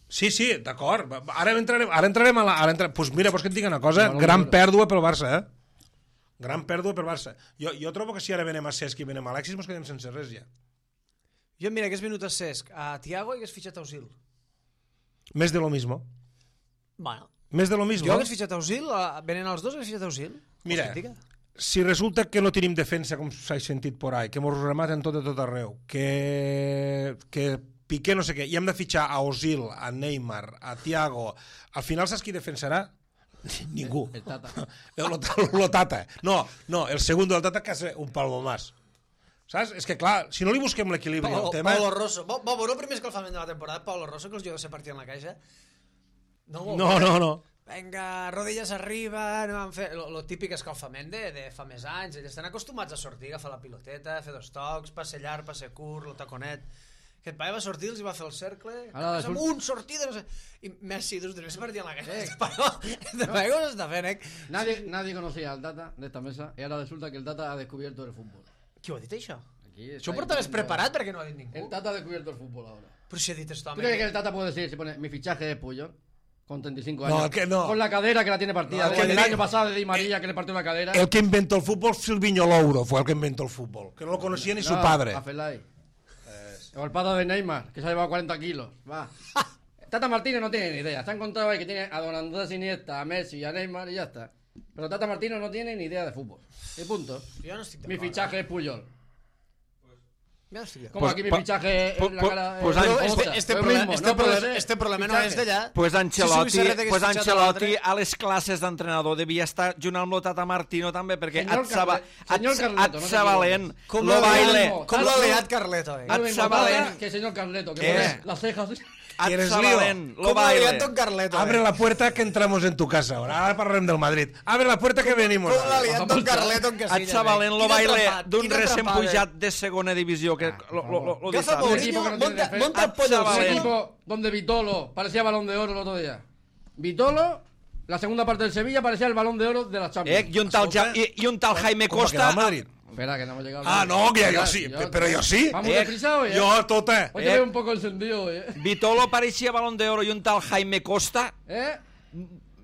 Sí, sí, d'acord. Ara entrarem, ara entrarem a la... Ara entrarem... Pues mira, pues que et dic una cosa, Bueno, gran bueno. pèrdua pel Barça, eh? Gran pèrdua pel Barça. Jo, jo trobo que si ara venem a Cesc i venem a Alexis, mos quedem sense res ja. Jo, mira, hagués venut a Cesc, a Thiago i hagués fitxat a Özil. Més de lo mismo. Bueno, Més de lo mismo. jo hagués fitxat a Özil, a- venent els dos hagués fitxat a Özil. Mira, Hòstia, si resulta que no tenim defensa, com s'ha sentit por ahí, que mos rematen tot de tot arreu, que, que Piqué no sé què, i hem de fitxar a Özil, a Neymar, a Thiago, al final saps qui defensarà? Ningú. El Tata. El, lo Tata. No, no, el segundo del Tata que és un palmo más. Saps? És que clar, si no li busquem l'equilibri al Paulo, tema... Paulo Rosso. Bo, bo, bo, el primer escalfament de la temporada, Paulo Rosso, que els jugadors se partien la caixa. No, No, no, no. Venga, rodilles arriba, no van fer... Lo, lo típic escalfament de, de fa més anys. Ells estan acostumats a sortir, agafar la piloteta, fer dos tocs, passe llarg, passe curt, el taconet. Aquest paio va sortir, els hi va fer el cercle, Ara, amb surt- un sortida, no sé... I Messi, dos tres, se partien la caixa. Este paio, este paio com s'està fent, eh? Nadie, nadie conocía al Tata de esta mesa y ahora resulta que el Tata ha descubierto el fútbol. Qui ho ha dit, això? Aquí está Això ho portaves diciendo- preparat perquè no ho ha dit ningú. El Tata ha descubierto el fútbol ahora. Però si ha dit esto, ¿Tú crees que el Tata puede decir, si pone mi fichaje es Puyol? Con treinta y cinco años. No, que no. Con la cadera que la tiene partida. No, desde que el no. año pasado de Di María que le partió la cadera. El que inventó el fútbol, Silviño Louro, fue el que inventó el fútbol, que no lo conocía ni su No, padre. A Felay. O el padre de Neymar, que se ha llevado cuarenta kilos. Va. Tata Martínez no tiene ni idea. Se ha encontrado ahí que tiene a Don Andrés Iniesta, a Messi, a Neymar y ya está. Pero Tata Martínez no tiene ni idea de fútbol. Y punto. Jo no estic Mi d'acord. fichaje es Puyol. Jo no estic d'acord. Como Pues- aquí mi pa- fichaje es pu- la pu- cara... pues eh, Ángel- Però este, otra. este, Lo problema, mismo, este, no puede problema, ser este problema no fichaje. és d'allà. Pues Ancelotti, Si Suïssa pues hagués fitxat Ancelotti l'altre- a les classes d'entrenador devia estar junt amb lo Tata Martino també, perquè Senyor et saba, Carle- senyor et, Carleto, et no sabalent Com lo lo baile, mismo. Com Tanto- l'ha liat Carleto, eh? No es lo Et mismo Sabalén. Tata que el señor Carleto, que ¿Qué? pone las cejas... et ¿Quieres sabalent lo Com l'ha liat baile. Don Carleto, Abre eh? la puerta que entramos en tu casa ahora. Ahora parlarem del Madrid. Abre la puerta que venimos. Com l'ha liat Don Carleto en Et Casillas, sabalent eh? lo Quina baile atrapat, d'un quina recent atrapada. pujat de segona divisió que lo, lo, lo, lo Agafa dissabte. Un Mourinho, equipo que no tiene monta, defensa. monta el pollo al Chaval, Un eh. suelo. equipo donde Vitolo parecía balón de oro el otro día. Vitolo, la segunda parte del Sevilla, parecía el balón de oro de la Champions. Eh, i un tal, ja, i, i un tal Jaime Com va quedar Costa... el Madrid? Espera, que no hemos llegado. Ah, no, que Espera, jo sí, però jo sí. Vamos Eh, deprisa hoy, eh. Jo, tota. Hoy te eh. veo un poco encendido hoy, eh. Vitolo pareixia balón de oro i un tal Jaime Costa ¿Eh?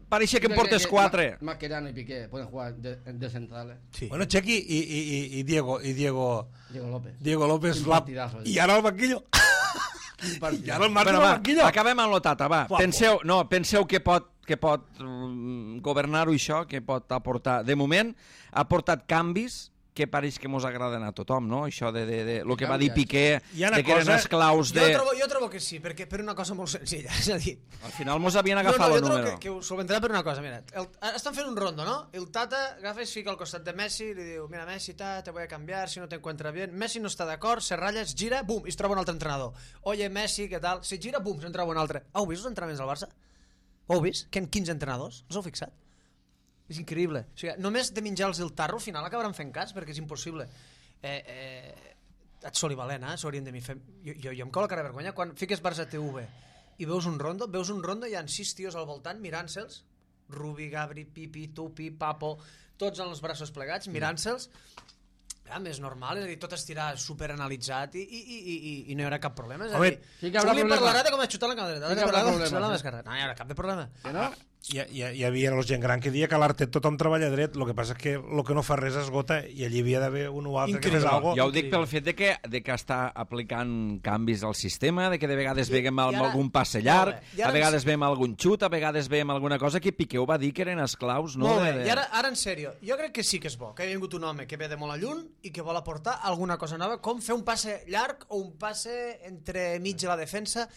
pareixia que en portes quatre. Mascherano y Piqué pueden jugar de, de centrales. Sí. Bueno, Chequi i, i, i, i Diego, i Diego, Diego López. Diego López. Quin La... partidazo, eh. I ara al banquillo. Un partido. I ara el Marc Bueno, al va, banquillo. acabem amb lo Tata, va. Guapo. Penseu, no, penseu que pot, que pot mm, governar-ho això, que pot aportar... De moment, ha portat canvis que pareix que mos agraden a tothom, no? Això de, de, de lo que va dir Piqué, Hi ha una de que eren cosa- esclaus Jo, de... trobo, jo trobo que sí, perquè per una cosa molt senzilla. És a dir, Al final mos havien no, agafat no, el jo trobo número. que, que ho solventarà per una cosa. Mira, el, estan fent un rondo, no? El Tata agafa i es fica al costat de Messi i li diu, mira, Messi, ta, te voy a cambiar si no te encuentra bien. Messi no està d'acord, se ratlla, es gira, bum, i es troba un altre entrenador. Oye, Messi, què tal? Se gira, bum, se'n troba un altre. Heu vist els entrenaments del Barça? Ho heu vist? Que hi ha quinze entrenadors? Us heu fixat? És increïble. O sigui, només de menjar-los el tarro al final acabaran fent cas perquè és impossible. Eh, eh, et soli valent, eh? S'haurien de mi fer... Jo, jo, jo em cau la cara de vergonya quan fiques Barça T V i veus un rondo, veus un rondo i hi ha sis tios al voltant mirant-se'ls, Rubi, Gabri, Pipi, Tupi, Papo, tots amb els braços plegats, mirant-se'ls. Ja, més normal, és a dir, tot estirà superanalitzat i, i, i, i, i no hi haurà cap problema. És a Home, dir, sí que haurà un li problema. parlarà de com ha xutat la camereta, Sí que l'altre haurà parlarà de com problema, xutat la sí. mascareta. No hi haurà cap de problema. ¿Que no? Hi, hi, hi havia els gent gran que deia que a l'Artet tothom treballa dret, el que passa és que el que no fa res esgota i allí havia d'haver un o altre Increïble. que fes alguna Jo ho dic pel fet de que, de que està aplicant canvis al sistema, de que de vegades I- veiem i amb ara- algun passe molt llarg, bé. I ara a vegades ens- veiem algun xut, a vegades veiem alguna cosa que Piqué ho va dir que eren esclaus, no? Molt bé, de, de... i ara, ara en sèrio, jo crec que sí que és bo, que ha vingut un home que ve de molt a lluny i que vol aportar alguna cosa nova, com fer un passe llarg o un passe entre mig de la defensa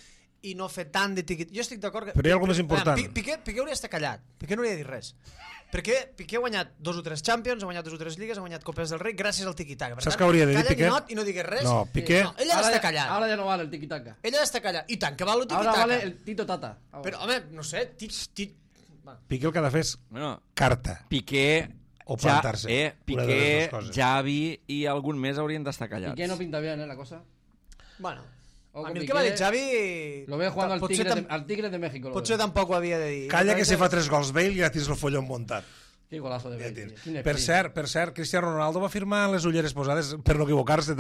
i no fer tant de tiquit. Jo estic d'acord que... Però hi ha alguna més important. Pi- Piqué, Piqué hauria d'estar callat, Piqué no hauria de dir res. Perquè Piqué ha guanyat dos o tres Champions, ha guanyat dos o tres lligues, ha guanyat Copes del Rei gràcies al tiqui-taca. Per Saps tant, què hauria de dir, calla Piqué? ninot i no digues res. No, Piqué- No, ell ha Ahora d'estar ya- callat. Ahora ya no vale el tiki-taka. Ell ha d'estar callat. I tant, que val el Ahora tiqui-taca. vale el Tito Tata. Ahora. Però, home, no sé, tit... tit... Va. Piqué el que ha de fer és Bueno, carta. Piqué, O ja, plantar-se. eh, Una de les Piqué, dues coses. Xavi i algun més haurien d'estar ¿Y callats. qué no pinta bien, eh, la cosa? Bueno, Ojo, a mi el Piqué, que va dir Xavi... Lo veo jugando al potser Tigre, tam- de, al Tigre de México. lo Potser veo. tampoc ho havia de dir. Calla Jo que crec se fa tres gols Bale i ja tens el folló muntat. Qué golazo de Bale. Per cert, per cert, Cristiano Ronaldo va firmar les ulleres posades, per no equivocar-se,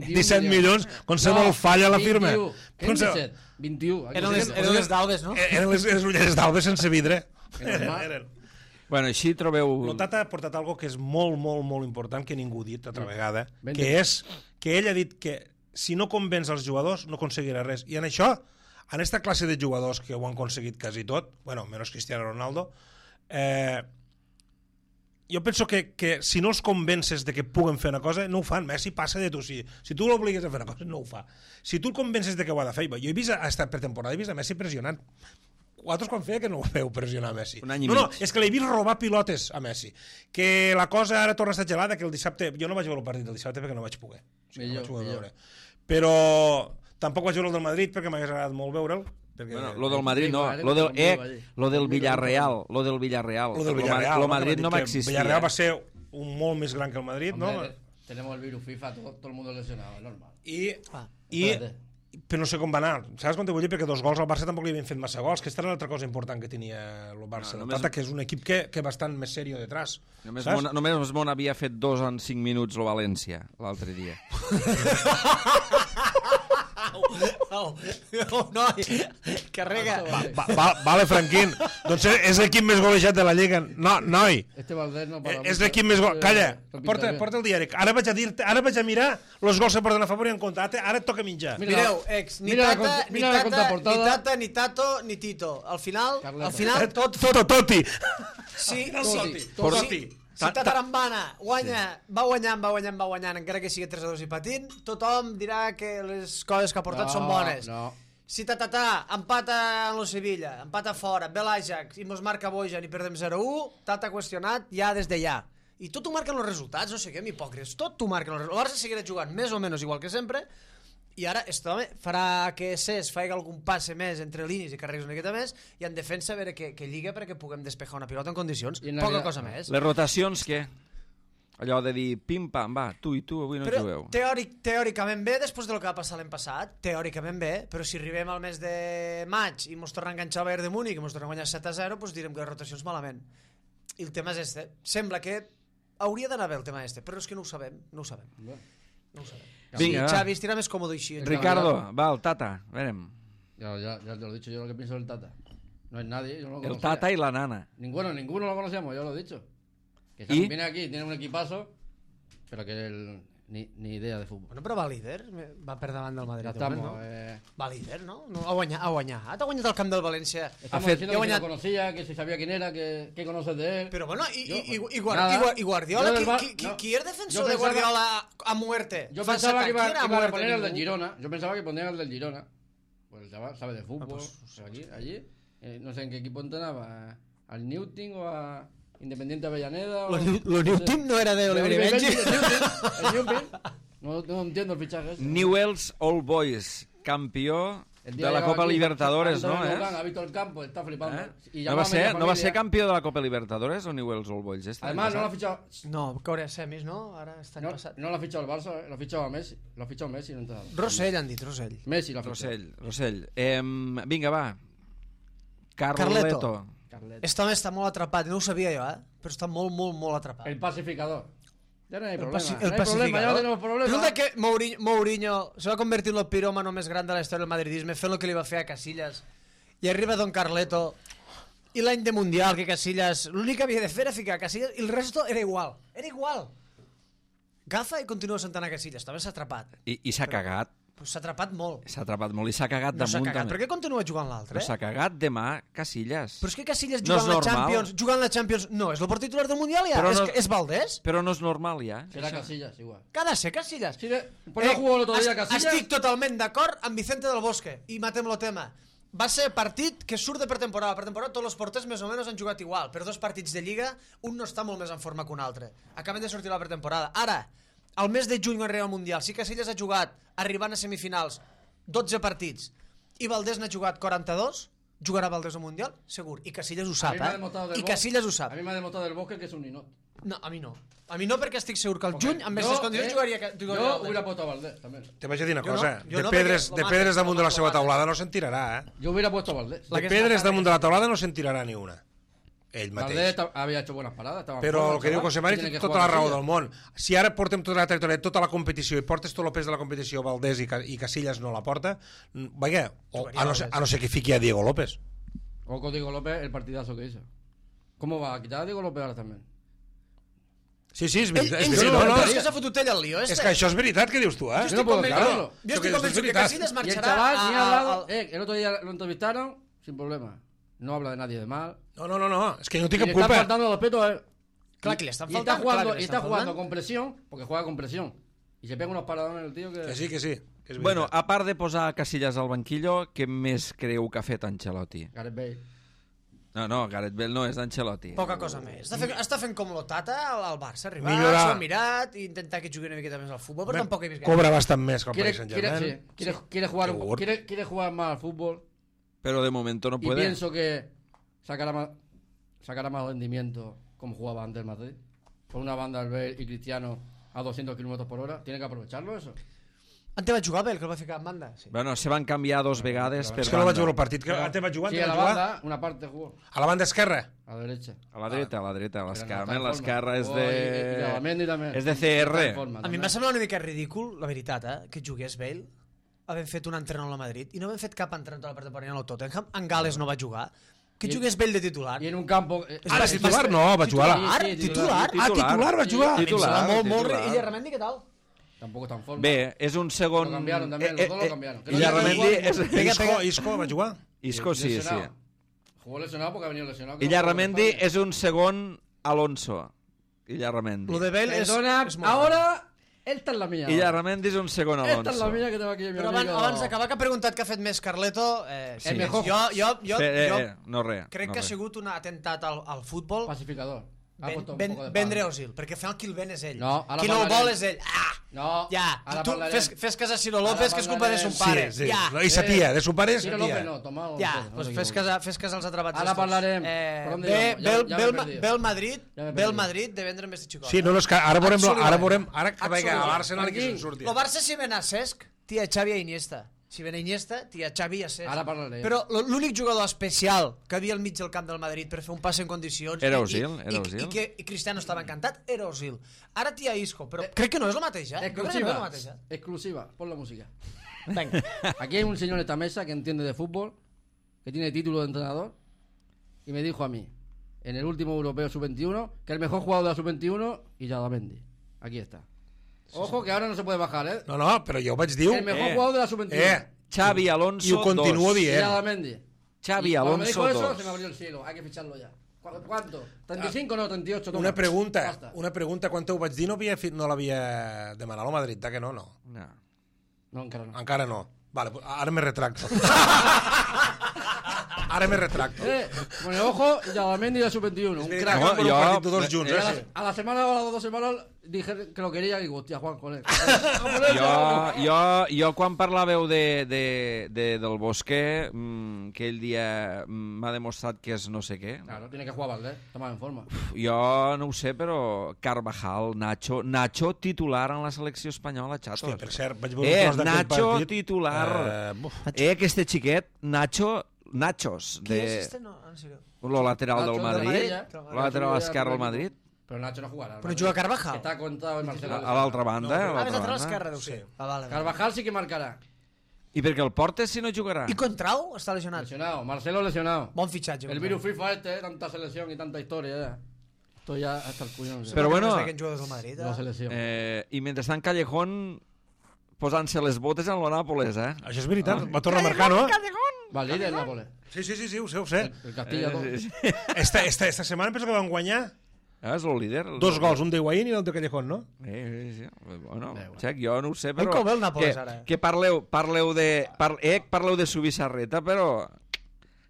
disset milions, quan se molt falla la firma. Què és disset? vint-i-u. Eren les, eren les d'Albes, no? Eren les, les ulleres d'Albes sense vidre. Eren. Bueno, així trobeu... El Tata ha portat algo que és molt, molt, molt important, que ningú ha dit altra vegada, que és que ell ha dit que si no convenç els jugadors no aconseguirà res. I en això, en aquesta classe de jugadors que ho han aconseguit quasi tot, bueno, menys Cristiano Ronaldo, eh, jo penso que, que si no els convences de que puguen fer una cosa, no ho fan. Messi passa de tu. Si, si tu l'obligues a fer una cosa, no ho fa. Si tu el convences de que ho ha de fer... Jo he vist, ha estat per temporada, he vist a Messi pressionant. Vosaltres quan feia que no ho feu pressionar a Messi? Un any i no, no, mig. és que l'he vist robar pilotes a Messi. Que la cosa ara torna a estar gelada, que el dissabte... Jo no vaig veure el partit del dissabte perquè no vaig poder. O sigui, millor, no vaig poder millor. veure. Però tampoc vaig veure el del Madrid perquè m'hagués agradat molt veure'l. Perquè... Bueno, lo del Madrid no, lo del, eh, lo del Villarreal, lo del Villarreal. Lo del Villarreal. Lo Madrid no va existir. Villarreal va ser un molt més gran que el Madrid, Hombre, ¿no? Tenemos el virus FIFA, todo, todo el mundo lesionado, es normal. I, Ah, i espérate. però no sé com va anar. Saps quan te vull dir? Perquè dos gols al Barça tampoc li havien fet massa gols, que aquesta era l'altra cosa important que tenia el Barça. No, No, només- Tata, que és un equip que, que bastant més serio detrás. Només saps? Mona, només Mona havia fet dos en cinc minuts el València l'altre dia. No, no, no, carrega. Va, va, vale, Franquín. Doncs és l'equip més golejat de la Lliga. No, noi. Este Valdés no para Eh, És mucho. l'equip més gol... Eh, Calla, lo pinta porta, bien. porta el diari. Ara vaig a dir-te, ara vaig a mirar els gols que porten a favor i en contra. Ara et toca menjar. Mira, Mireu, ex, ni mira la Tata, contra- ni mira la Tata, ni contraportada. Tata, ni Tato, ni Tito. Al final, Carleto. al final tot, Toto, Toti. sí, Toti, sí, Toti. sí. Si Tatarambana guanya, va guanyant, va guanyant, va guanyant, encara que sigui tres a dos i patint, tothom dirà que les coses que ha portat No, són bones. no. Si Tatatà empata en lo Sevilla, empata fora, ve l'Ajax i mos marca Bojan i perdem zero a u, Tata qüestionat ja des de ja. I tot ho marquen els resultats, no sé què, hipòcrites, tot ho marquen els resultats. El Barça seguirà jugant més o menys igual que sempre, i ara aquest home farà que Cés faci algun passe més entre línies i carreguis una miqueta més, i en defensa a veure que, que lliga perquè puguem despejar una pilota en condicions. I en Poca Navidad- cosa més. Les rotacions, què? Allò de dir, pim-pam, va, tu i tu avui no Però jugueu. teòric, teòricament bé, després del que va passar l'any passat, teòricament bé, però si arribem al mes de maig i mos torna a enganxar el Bayern de Múnich i mos torna a guanyar set a zero, doncs direm que les rotacions malament. I el tema és este. Sembla que hauria d'anar bé el tema este, però és que no ho sabem, no ho sabem. No ho sabem. Vinga, sí, va. Xavi, estirà més còmode així. Ricardo, va, el Tata, verem. Ya, ya, ya te lo he dicho yo lo que pienso del Tata. No es nadie, yo no lo El conocía. Tata y la nana. Ninguno, ninguno lo conocíamos, ya lo he dicho. Que ¿Y? viene aquí, tiene un equipazo, pero que él ni, ni idea de fútbol. Bueno, però va líder, va per davant del Madrid. Ya de moment, estamos. no? Eh, Va líder, no? no ha guanyat, ha guanyat. Ha guanyat el camp del València. estamos fet- diciendo ha que si guanyat- lo conocía, que si sabía quién era, que, que conoces de él. Però bueno, i, Yo, i, i, i, nada. Guard, i, Guardiola, Yo del qui, Bar- qui, qui, no. qui és defensor Yo de pensaba- Guardiola a muerte? Yo Fa pensaba que set iba, anys, qui era iban a muerte poner el del ningú? Girona. Yo pensaba que ponían el del Girona. Pues el chaval sabe de fútbol. Ah, pues, pues aquí, allí. Eh, no sé en qué equipo entrenaba. Al Newton o a Independiente Avellaneda. Lo, o, New- lo New Team no era de Oliver y Benji. El Newton, el Newton. No, no entiendo el fichaje ese. Newell's Old Boys, campió El de día la llegaba Copa aquí, Libertadores, ha ¿no? entrado en ¿Eh? Lugano, ha visto el campo, está flipando. ¿Eh? Y No llamaba va, a ser, media no va familia. ser campió de la Copa Libertadores o Newell's Old Boys? Este Además, no lo ha l'any fichado. No, que hauria semis, no? Ara està No, passat. no lo ha fichado el Barça, eh, lo ha fichado a Messi. Lo ha fichado Messi, no entrado. Rossell han dit, Rossell. Messi lo ha passat. fichado. Rossell, Rossell. Eh, vinga, va. Carleto. Carleto. Carleto. Este home està molt atrapat, no ho sabia jo, eh? Però està molt, molt, molt atrapat. El pacificador. Ya no hay El, problema. paci no el hay problema, ya no tenemos problema. Resulta que Mourinho, Mourinho se va convertir en el piròmano més gran de la història del madridisme fent el que li va fer a Casillas. I arriba Don Carleto i l'any de Mundial que Casillas l'únic que havia de fer era ficar a Casillas i el resto era igual, era igual. Gafa i continua sentant a Casillas, també s'ha atrapat. I, i s'ha cagat. Pues s'ha atrapat molt. S'ha atrapat molt i s'ha cagat No s'ha damunt cagat. també. Per què continua jugant l'altre? Però s'ha cagat demà Casillas. Però és que Casillas No és jugant la normal. Champions, jugant la Champions, no, és el port titular del Mundial ja, Però és, no- que és Valdés. Però no és normal ja. Será Casillas, igual. Que ha de ser Casillas. Sí, de- por eso jugó el otro día est- Casillas. Estic totalment d'acord amb Vicente del Bosque i matem el tema. Va ser partit que surt de pretemporada. Per temporada tots els porters més o menys han jugat igual. Per dos partits de Lliga, un no està molt més en forma que un altre. Acaben de sortir la pretemporada. Ara, al mes de juny quan arriba al Mundial, si Casillas ha jugat arribant a semifinals dotze partits i Valdés n'ha jugat quaranta-dos, jugarà Valdés al Mundial? Segur. I Casillas ho A sap, mí me ha eh? demostrado del I Bosque- Casillas ho sap. A mí me ha demostrado del Bosque que es un ninot. No, a mi no. A mi no, perquè estic segur que el juny, amb Yo, aquestes condicions, eh, jugaria, jugaria Yo Valdés. hubiera puesto a Valdés también. Te vaig a dir una Jo no, cosa. jo de no, pedres, perquè de lo pedres mata, damunt de la lo seva mata. taulada no se'n tirarà, eh? Yo hubiera puesto a Valdés. La De que pedres està damunt de la taulada no se'n tirarà ni una. ell Valdés mateix. había hecho buenas paradas. estaba en Però forma, el que diu chaval, José Mari tiene té que tota jugar la raó Casillas. del món. Si ara portem tota la trajectòria, tota la competició i portes tot el pes de la competició, Valdés i, Ca- i Casillas no la porta, mm, vaja, o, a, no ser, a no ser que fiqui a Diego López. O con Diego López, el partidazo que hizo. ¿Cómo va a quitar a Diego López ahora también? Sí, sí, és Ell, veritat. ell, És, sí, veritat, no, no, no, no, és que s'ha fotut ell al lío, este. és que això és veritat que dius tu, eh? Yo no puedo creerlo. Jo estic Això que convençut és que veritat. Casillas Y el marxarà chaval a, ni ha a, hablado. al- Eh, el otro día lo entrevistaron sin problema. No habla de nadie de mal. No, no, no, no, és que no Y té le cap está culpa. faltando respeto a él. Clar que li estan Y está faltant, jugando, clar que li y está estan jugando faltant. con presión, porque juega con presión. Y se pega unos paradones el tío que... Que sí, que sí. Que és Bueno, veritat. a part de posar Casillas al banquillo, què més creu que ha fet Ancelotti? Gareth Bale. No, no, Gareth Bale no és d'Ancelotti. Poca cosa més. Està fent, està fent com l'Otata al, al Barça, arribar, Millorar. s'ho ha mirat i intentar que jugui una miqueta més al futbol, però tampoc he vist gaire. Cobra bastant més que el Quiere, Paris quiere, Saint-Germain. sí, quiere, quiere, jugar, un po- Segur. quiere, quiere jugar más al fútbol. Pero de momento no Y puede. pienso que sacará más, sacará más rendimiento como jugaba antes el Madrid. Con una banda al Bale y Cristiano a doscientos kilómetros por hora. Tiene que aprovecharlo eso. Antes va jugar Bale, que el va ficar en banda. Sí. Bueno, se van canviar dos vegades per És que no vaig banda. veure el partit. Que antes va jugar, Sí, antes a va la jugar. banda, una parte jugó. A la banda esquerra. A la derecha. A la dreta, a la dreta, a Pero no l'esquerra. está en No, l'esquerra forma. és Jugó y- y a la Mendy de... también. És de C Está en R. forma A mi también. em va semblar una mica ridícul, la veritat, eh, que jugués Bale, havent fet un entrenador a Madrid, i no havent fet cap entrenador a la part de Parina al Tottenham, en Gales no va jugar, que I- jugués Bale de titular. Y en un campo... eh, És Ara bàstic, titular bàstic. no, va jugar a la... Titular? Sí, sí, Titular? Ah, titular va jugar. A mi em Titular, sembla molt, molt... titular. I Illarramendi, què tal? Tampoco está en forma. Bé, és un segon... Lo cambiaron también, los dos lo cambiaron. Que no Illarramendi llega a és... jugar. Pega, Isco, pega. Isco va jugar. Isco sí, sí. Lesionado. Jugó lesionado porque ha venido lesionado. Illarramendi Como és un segon Alonso. Illarramendi. Lo de Bale és, Perdona, és molt ahora... Esta es la mía. Illarramendi és un segon Esta es la Alonso. mía que tengo aquí en mi Però abans, amigo. abans d'acabar, que ha preguntat què ha fet més Carleto, eh, sí, El mejor. jo, jo, jo, Fe- eh, jo eh, no res. crec no que ha res. sigut un atemptat al, al futbol. Pacificador. Ha Ben, puesto un ben, poco de vendre palo. Osil, perquè al final qui el ven és ell. No, ara qui no el parlarem. vol és ell. Ah! No, Ja, ara tu parlarem. fes, fes cas a Ciro Ara López, que és culpa de son parlarem. pare. Sí, sí. Ja, No, I sa tia, de su pare és sa Ciro López tia. no, tomado. ja, no pues te fes equivoques. cas, a, fes cas als atrapats Ara estos. parlarem. Eh, Per on ve, direm? Ja- ve, ja ve, m'he el Ma- perdit. ve el Madrid, Ja m'he ve el perdit. Madrid de vendre més de xicot. Sí, no, no, és que ara veurem, ara Absolutament. veurem, ara que vaig a Absolutament. l'Arsenal i que se'n Aquí. surti. El Barça si ven a Cesc, tia Xavi a Iniesta. Si ven a Iniesta, tia Xavi a Cesc. Ara parlarem. Però l- l'únic jugador especial que havia al mig del camp del Madrid per fer un passe en condicions... Era i- Özil, i, era i, Özil. I que i Cristiano estava encantat, era Osil. Ara tia Isco, però crec que no és el mateix, eh? Jo crec que no és el Exclusiva. mateix, eh? Exclusiva. Pon la música. Venga. Aquí hay un señor en esta mesa que entiende de fútbol, que tiene título de entrenador, y me dijo a mí, en el último europeo sub veintiuno, que el mejor jugador de la sub veintiuno, Illarramendi. Aquí está. Ojo que ahora no se puede bajar, ¿eh? No, no, però jo ho vaig dir... El mejor Eh. jugador de la sub veintiuno. Eh, Xavi Alonso I ho continuo dos. dient. Illarramendi. Xavi Y cuando me Alonso dijo eso, dos. se me abrió el cielo. Hay que ficharlo ya. ¿Cu- ¿Cuánto? ¿treinta y cinco no? ¿treinta y ocho? Toma. Una pregunta, Basta. una pregunta, quan t'ho vaig dir no, havia, fi- no l'havia demanat al Madrid, que no, no. No. No, encara no. Encara no. Vale, pues ara me retracto. Ara me retracto. Eh, con el ojo, Illarramendi de la sub veintiuno. Un crack. No, No, jo- jo, un partit tots junts, Y a, eh? la, sí. a la semana o a las dos semanas dije que lo quería y digo, hostia, Juan, con él. Jo, jo, jo quan parlàveu de, de, de, del Bosquer, mm, aquell dia mm, m'ha demostrat que és no sé què. Claro, tiene que jugar Valdés, está más en forma. Jo no ho sé, però Carvajal, Nacho... Nacho titular en la selecció espanyola, xatos. Hòstia, per cert, vaig veure Eh, un tros d'aquell Nacho partit. titular. Eh, buf. Eh, aquest xiquet, Nacho... Nachos, Qui és de este? No, en sèrio. lo lateral Nacho del de Madrid, Madrid, lo lateral ya. esquerre del Madrid, Pero Nacho no jugará. Però juga Carvajal. Está contado en Marcelo. a l'altra banda, a Ah, més l'altra lateral banda. esquerre, deu ser. Ah, vale, vale. Carvajal sí que marcará. I perquè el portes si no jugarà? I Contrau està lesionat. Lesionado. Marcelo lesionado. Bon fitxatge. El virus FIFA este, eh, tanta selección y tanta historia. Ya. Estoy ya hasta el cuñón. ya. Però bueno, No sé jugadors del Madrid. La Eh? selección. eh, i mentrestant Callejón posant-se les botes en lo Nàpoles, eh? Això és veritat, va tornar a marcar, no? Va líder Nápoles. Sí, sí, sí, sí, ho sé, ho sé. El Castilla todo. Eh, sí, sí. Esta, esta, esta setmana penso que van guanyar Ah, és el líder. El dos gols, un de Higuaín i l'altre de Callejón, no? Eh, sí, sí. Bueno, Bé, bueno. xec, jo no ho sé, però... com ve el Nàpoles, que, ara? que parleu, parleu de... Par, eh, parleu de Subissarreta, però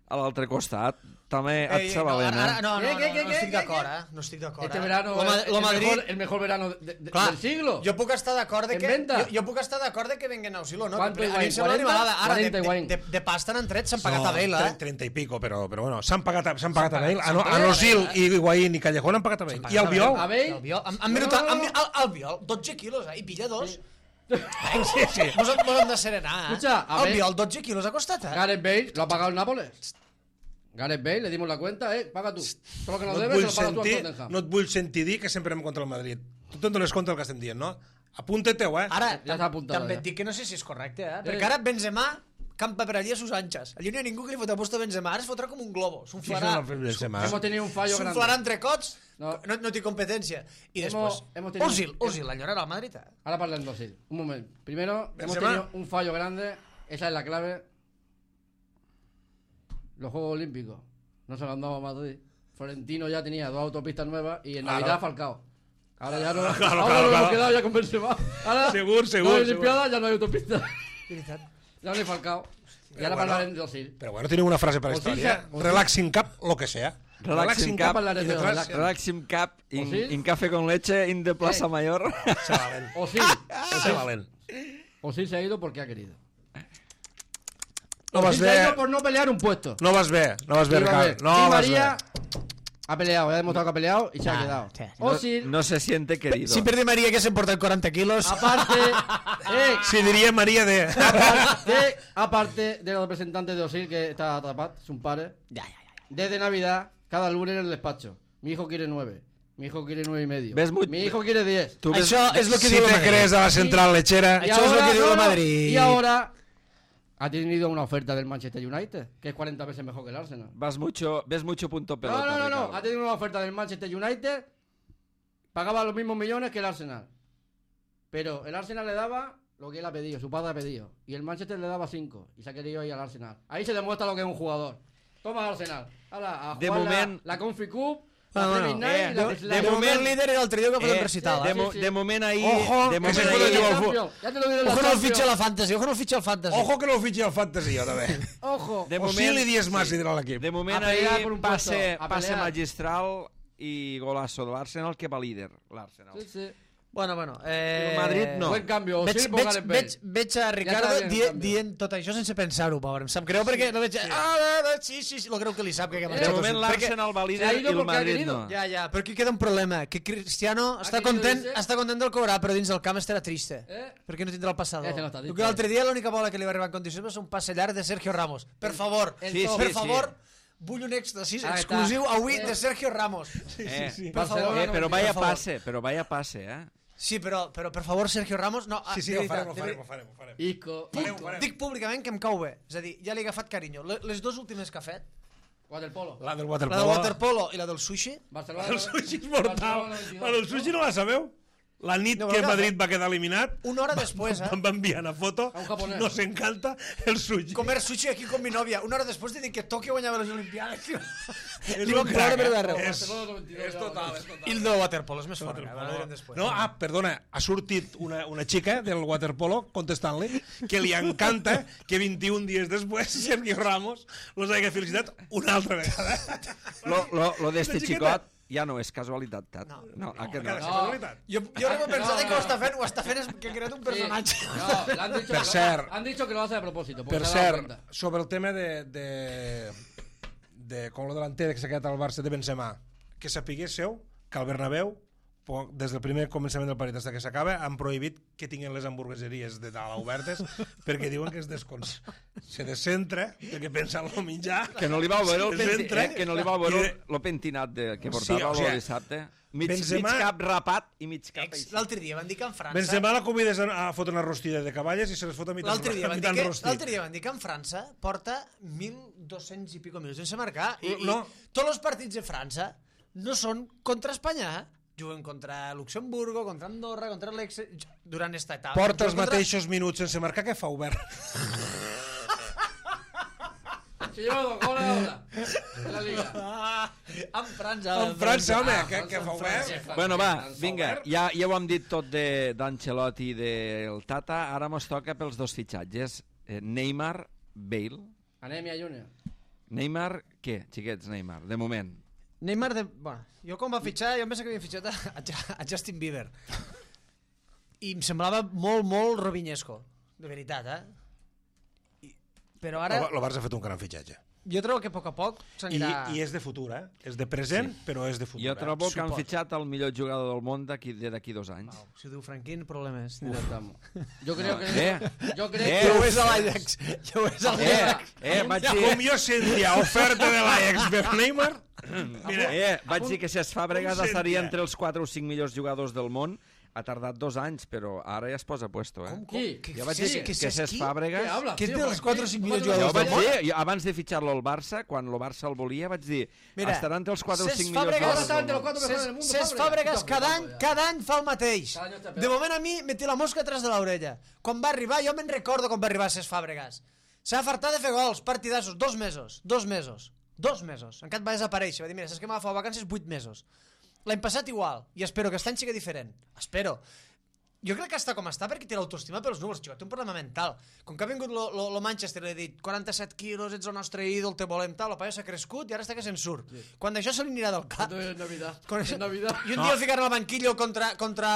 a l'altre costat també et Ei, ei, no, sabalent, ara, ara, eh? no, no, ¿Qué, no, qué, no, qué, no qué, estic qué, d'acord, qué? eh? No estic d'acord. Este eh? verano Lo, Ma- es lo el, Madrid... mejor, el mejor verano de- de- Clar, del siglo. Jo puc estar d'acord de En que... venta. Jo, jo puc estar d'acord de que venguen a Osil o no. ¿Cuánto però a mi Higuaín? em sembla una ¿cuarenta? animalada. Ara, de, cuarenta de, Higuaín. de, de pasta n'han tret, s'han pagat a Bale, eh? trenta i pico, però, però bueno, s'han pagat, a- s'han pagat a Bale. A, no, a pagat a Nosil Bale, i Higuaín i Callejón han pagat a Bale. I el Biol? A Bale. El Biol, han, han No, minutat, no, no. han, el, el Biol, dotze quilos, eh? I pilla dos. Sí. Sí, sí. Mos, mos hem de serenar, eh? Escucha, a el Bale- Biol, dotze quilos ha costat, eh? Gareth Bale lo ha pagado el Nápoles. Gareth Bale, le dimos la cuenta, eh, paga tú. Todo lo que nos No et, debes, vull se lo pagas tú al sentir, Tottenham. no et vull sentir dir que sempre anem contra el Madrid. Tu te'n dones compte del que estem dient, no? Apunta-te-ho, eh? Ara, Ja s'ha apuntat, també ja. et dic que no sé si és correcte, eh? Eh. Perquè ara Benzema campa per allí a sus anchas. Allí no hi ha ningú que li fot a posto a Benzema. Ara es fotrà com un globo. S'unflarà. Sí, sí, no, Benzema. Hemos tenido un fallo grande. S'unflarà entre cots. No, No. no, no té competència. I Hemos- després, hemos tenido- Özil, Özil, l'enyorarà al Madrid. eh? Ahora para el Özil. Un momento. Primero, hemos Benzema. tenido un fallo grande. Esa es la clave. Los Juegos Olímpicos no se lo han dado a Madrid. Florentino ya tenía dos autopistas nuevas y en Claro. Navidad Falcao. Ahora ya no, Claro, ahora claro, nos claro. hemos quedado ya con Benzema. Ahora Segur, segur, no hay segur. Olimpiada, ya no hay autopista. Veritat. Ya no hay Falcao. Y ahora bueno. para el Özil. Pero bueno, tiene una frase para la Özil historia. se- Özil- Relaxing cap, lo que sea. Relaxing cap cap, en la y arena, detrás- relax. Relaxing Cap in, ¿O sí? in Café con Leche in de Plaza Eh. Mayor. Chavalen. Özil. Chavalen. Özil se ha ido porque ha querido. No vas Özil se ha bé. ido por no pelear un puesto. No vas bé. No vas bé, Iba a ver. Ricard. No Di vas María bé. ha peleado, ha demostrado que ha peleado y se ha Ah, quedado. sí. No, Özil, no se siente querido. Si per Di Maria que s'emporten quaranta quilos... aparte, eh, Si diria Maria de... aparte, aparte de los representantes de Özil que está atrapado, es un padre. Ja, ja, ja. Desde Navidad, cada lunes en el despacho. Mi hijo quiere nueve. Mi hijo quiere nueve y medio. Ves muy- Mi hijo quiere diez. Tu ves- Això és el que Si diu el te Madrid. crees a la central lechera... Això és el que diu el no, no, Madrid. y ahora ha tenido una oferta del Manchester United, que es cuarenta veces mejor que el Arsenal. Vas mucho, ves mucho punto pelota. No, no, no, no. Ricardo. Ha tenido una oferta del Manchester United. Pagaba los mismos millones que el Arsenal. Pero el Arsenal le daba lo que él ha pedido, su padre ha pedido. Y el Manchester le daba cinco. Y se ha querido ir al Arsenal. Ahí se demuestra lo que es un jugador. Toma Arsenal. Ahora, a De jugar la- moment- la, Confi Cup, la Ah, Premier bueno, Night eh, y la de- Slam. de De moment moment- líder era l'altre dia que ha fet un Eh, recital. de, eh? mo sí. de moment ahí... Ojo, de que moment se ahí- puede Ya llevar te al lo fu- digo, ya te lo digo en la Ojo no el Champions. fitxa a la Fantasy, ojo no el fitxa al Fantasy. Ojo que no ho fitxi al Fantasy, jo, també. Ojo. De O sí li dies massa sí. l'equip. De moment A pelear ahí por un passe, puesto, a passe pelear. magistral i golazo de l'Arsenal que va líder, l'Arsenal. Sí, sí. Bueno, bueno. Eh... El Madrid no. Buen cambio. Veig, Özil por veig, Gareth Bale. veig, veig a Ricardo està bien el di, canvi. dient tot això sense pensar-ho, pobre. Em sap greu perquè no veig... Sí. Ah, ah, sí, sí, sí, lo creu que li sap que ha De marxat. moment Özil. l'Arsenal va líder se ha i ido el porque ha Madrid querido. no. Ja, ja, però aquí queda un problema, que Cristiano està querido content, irse. està content del cobrar, però dins del camp estarà triste. Eh? Perquè no tindrà el passador. Ese no està triste. Perquè l'altre dia l'única bola que li va arribar en condicions va ser un passe llarg de Sergio Ramos. Per favor, el Sí, top. per sí, favor, vull un èxtasis Ahí exclusiu està. avui Eh. de Sergio Ramos. Eh, Per Barcelona favor. eh, no però me vaya per favor. passe, però vaya passe, eh? Sí, però, però per favor, Sergio Ramos... No, ah, Sí, sí, de ho veritat, farem, ho de farem, veritat. ho farem. Ho farem. Isco. Farem, ho farem. Dic públicament que em cau bé. És a dir, ja li he agafat carinyo. Le- Les dues últimes que ha fet, Waterpolo. La del la waterpolo. del waterpolo i la del sushi, Barcelona. El sushi és mortal. Barcelona veintidós. La del sushi no la sabeu? La nit No, que però Madrid va quedar eliminat, una hora després, eh? em va enviar una foto, A un japonès. nos encanta el sushi. Comer sushi aquí con mi novia. Una hora després de dir que Tòquio guanyava les Olimpiades. És Li van un ploure crac, per eh? darrere. És, Barcelona veintidós, és ja, total, ja. és total. I el del waterpolo és més fort. eh? Ho direm després. No, ah, perdona, ha sortit una, una xica del waterpolo contestant-li que li encanta que vint-i-un dies després Sergio Ramos los hagi felicitat una altra vegada. Lo, lo, lo d'este La xiqueta. xicot ja no és casualitat, Tat. No, no, aquest Encara no. és casualitat. Jo, jo no m'he pensat que ho està fent, ho està fent és que ha creat un personatge. Sí. No, le han dicho, Per que, cert. han dicho que lo hace a propósito. porque Per se ha dado cert, cuenta. sobre el tema de, de, de com lo delanter que s'ha quedat al Barça de Benzema, que sapiguéssiu que al Bernabéu, po- des del primer començament del partit fins que s'acaba, han prohibit que tinguin les hamburgueseries de dalt obertes perquè diuen que es descons... se descentra el que pensa el mitjà. Que no li va veure el, Es penti, entra eh? que no li va i veure de- el, lo pentinat de, que Sí, portava o sí, sigui, el dissabte. Mig, Benzema- mig cap rapat i mig cap Ex- així. L'altre dia van dir que en França... Benzema la convides a, a fotre una rostida de cavalles i se les fot a mitant, L'altre dia, a van dir mitant que, rostit. l'altre dia van dir que en França porta mil dos-cents i pico minuts sense marcar i, No. i tots els partits de França no són contra Espanya, eh? Juguen contra Luxemburgo, contra Andorra, contra l'Ex... durant esta etapa. Porta els Juguen contra- mateixos minuts sense marcar que fa obert. Se lleva dos goles ahora. En la liga. Ah, en França. En França, home, Ah, que, que fa obert. França. Bueno, va, França, vinga, obert. ja, ja ho hem dit tot de- d'Ancelotti i del Tata, ara mos toca pels dos fitxatges. Eh, Neymar, Bale. Anemia Junior. Neymar, què, xiquets, Neymar, de moment? Neymar, de... bueno, jo quan va fitxar, jo em pensava que havia fitxat a, a, a Justin Bieber. I em semblava molt, molt rovinyesco, de veritat, eh? I Però ara... El Barça ha fet un gran fitxatge. Jo trobo que a poc a poc I, s'anirà... I és de futur, eh? És de present, sí. Però és de futur. Jo trobo eh? que han Suport. fitxat el millor jugador del món d'aquí d'aquí dos anys. Wow, si ho diu Franquín, problemes. Yo creo que... Eh, Yo creo eh, que... Jo ho és a l'Ajax. Jo ho és a Eh, l'Ajax. eh, vaig dir... Com jo sentia oferta de l'Ajax per Neymar... Mira, eh, vaig dir que Cesc Fàbregas com estaria sentia? entre els quatre o cinc millors jugadors del món. Ha tardat dos anys, però ara ja es posa a puesto, eh? Com, com? Qui? Que, Jo vaig que, dir que, que, que que Cesc ¿Qué Fàbregas... hablas, Que és tío? dels quatre o cinc millors Jo jugadors ho vaig del món. dir, jo, abans de fitxar-lo al Barça, quan el Barça el volia, vaig dir, Mira, estarà entre els quatre o Cesc cinc millors Fàbregas- jugadors Ahora está entre del los món. cuatro mejores del mundo. Cesc Fàbregas cada any, cada any fa el mateix. Cada any està peor. De moment a mi me té la mosca atrás de l'orella. Quan va arribar, jo me'n recordo quan va arribar Cesc Fàbregas. S'ha fartat de fer gols, partidassos, dos mesos, dos mesos, dos mesos. Encara va desaparèixer, va dir, mira, saps que m'agafava vacances vuit mesos. L'any passat igual, i espero que aquest any sigui diferent. Espero. Jo crec que està com està perquè té l'autoestima pels números, xicot, té un problema mental. Com que ha vingut lo, lo, lo Manchester i ha dit quaranta-set quilos, ets el nostre ídol, te volem tal, el paio s'ha crescut i ara està que se'n surt. Sí. Quan això se li anirà del cap... Esto es Navidad. Quan Es això... Navidad. I un dia el ficaran al banquillo contra, contra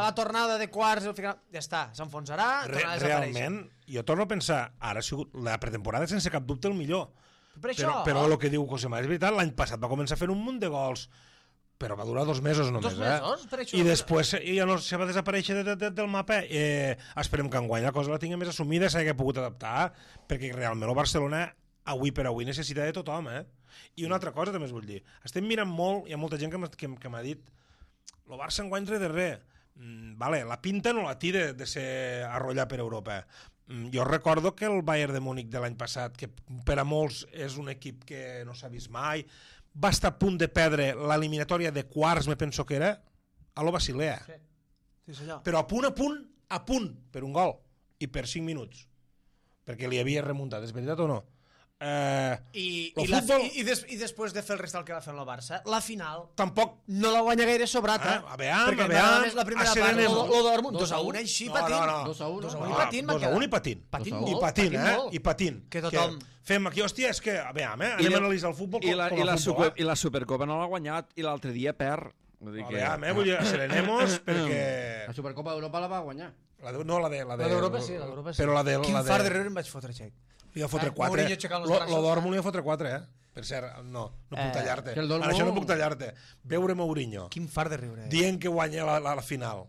la tornada de quarts, el ficaran... ja està, s'enfonsarà, Re, tornarà a desaparèixer. realment, jo torno a pensar, ara ha sigut la pretemporada sense cap dubte el millor. Per això... Però, però el que diu Cosemà és veritat, l'any passat va començar fent un munt de gols, però va durar dos mesos només. Dos mesos? Eh? Per això- I després ja no se va desaparèixer de, de, de, del mapa. Eh, esperem que enguany la cosa la tingui més assumida, s'hagi pogut adaptar, perquè realment el Barcelona avui per avui necessita de tothom. Eh? I una altra cosa també us vull dir. Estem mirant molt, hi ha molta gent que m'ha que, que m'ha dit el Barça enguany res de res. Mm, vale, la pinta no la té de, de ser arrollar per Europa. Mm, jo recordo que el Bayern de Múnich de l'any passat, que per a molts és un equip que no s'ha vist mai, va estar a punt de perdre l'eliminatòria de quarts, me penso que era, a lo Basilea. Sí. Sí, senyor. Però a punt, a punt, a punt, per un gol. I per cinc minuts. Perquè li havia remuntat, és veritat o no? Eh, I, el i, la, futbol- i, i, des, i després de fer el restal que va fer el Barça, la final Tampoc... no la guanya gaire sobrata. Ah, a veure, perquè a veure, m'agrada més la primera a part, Serenemo. lo, lo Dortmund, Dos dos a a un, un. així, No, patint. no, no. Dos a uno. Dos a un i Ah, patint, dos a m'ha un i quedat. patint. Patint Dos a molt, I patint, eh? molt. I patint. Que tothom... fem aquí, hòstia, és que, a veure, eh? I anem la- a analitzar el futbol com, I la, com i, a la futbol. super, I la Supercopa no l'ha guanyat i l'altre dia perd. Vull dir A que... veure, eh? Vull dir, serenemos perquè... La Supercopa d'Europa la va guanyar. La de, no, la de... La de- La d'Europa sí, la d'Europa sí. Però la de... Quin la de... far de riure em vaig fotre, Xec. Li va fotre Eh, quatre. Mourinho aixecant els Lo, braços, lo eh? Dortmund li va fotre quatre, eh? Per cert, no, no puc Eh, tallar-te. que el Dortmund- Ara això no puc tallar-te. Veure Mourinho Quin far de riure. Eh? dient que guanya la, la, la final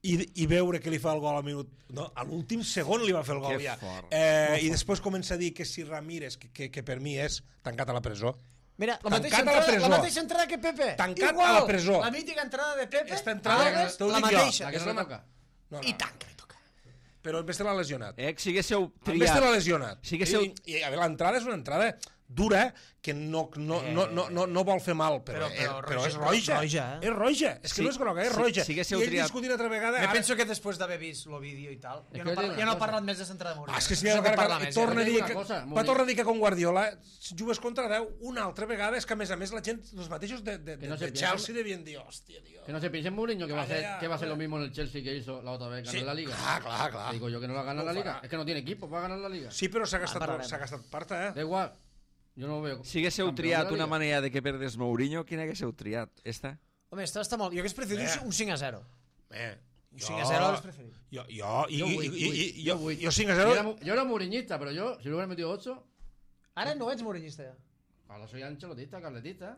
i, i veure que li fa el gol al minut... No, a l'últim segon li va fer el gol Que ja. fort. Eh, I després comença a dir que si Ramírez, que, que, que per mi és tancat a la presó, Mira, la Tancat mateixa, a la entrada, presó. la mateixa entrada que Pepe. Tancat Igual. a la presó. La mítica entrada de Pepe. Esta entrada, Alves, t'ho la dic jo. mateixa. La que És no la le ma- toca. no, no. I tant que li toca. Però el Beste l'ha lesionat. Eh, si haguéssiu El Beste l'ha triat... lesionat. Si haguéssiu... I, i a veure, l'entrada és una entrada dura que no, no, no, no, no, no vol fer mal, però, Però- però, però però és roja, roja. roja, eh? És roja. És que Sí, no és groga, és si- roja. si haguéssiu I ell triat- discutint altra vegada... Me ara- penso que després d'haver vist el vídeo i tal, És ja que no, jo parla, dic ja una no ha cosa. parlat més de centrada de Mourinho. Ah, és que si No ja sé què va, parla i més, torna a ja. dir una que, cosa, va Mourinho. tornar a dir que con Guardiola jugues contra deu una altra vegada, és que a més a més la gent, els mateixos de, de, Que no de, se de piensen- Chelsea devien dir, hòstia, tío. Que no se piense en Mourinho que va a Vale, hacer, ya, que va a hacer vale. lo mismo en el Chelsea que hizo la otra vez, ganó Sí, la Liga. clar, clar, clar. Digo yo que no la gana No la ho Liga. farà. Es que no tiene equipo para ganar la Liga. Sí, però s'ha Ah, gastat, parlarem. s'ha gastat parta, Da eh? igual. Yo no veo. Si haguéssiu campeón de triat la una Liga. manera de que perdés Mourinho, quina haguéssiu triat? Esta? Home, esta està molt... Jo hagués preferit Eh. un cinc a zero. Eh, Un cinc a zero hauries preferit. Jo, jo, i, Yo i, voy, i, voy, i, yo jo, voy. jo cinc a Yo era, zero... mu- yo era mourinhista, pero yo, si le hubiera metido ocho, Ara no ets mourinhista, ja. ahora soy ancelotista, carletista.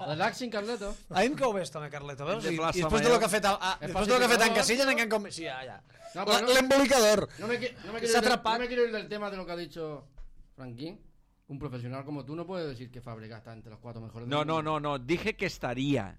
Relax sin Carleto. A mi em cau bé esto, home, Carleto, veus? De I, Plaça i després de Mayor. lo que ha fet, a, a, És després de lo que ha fet en pacificador. Casillas, encara com... Sí, ja, ja. No, La- pero no- L'embolicador. No me, qui- no, me Se quiero ha ir del, atrapado. no me quiero ir del tema de lo que ha dicho Franquín. Un profesional como tú no puede decir que Fábregas está entre los cuatro mejores del No, no, mundo. no, no. Dije que estaría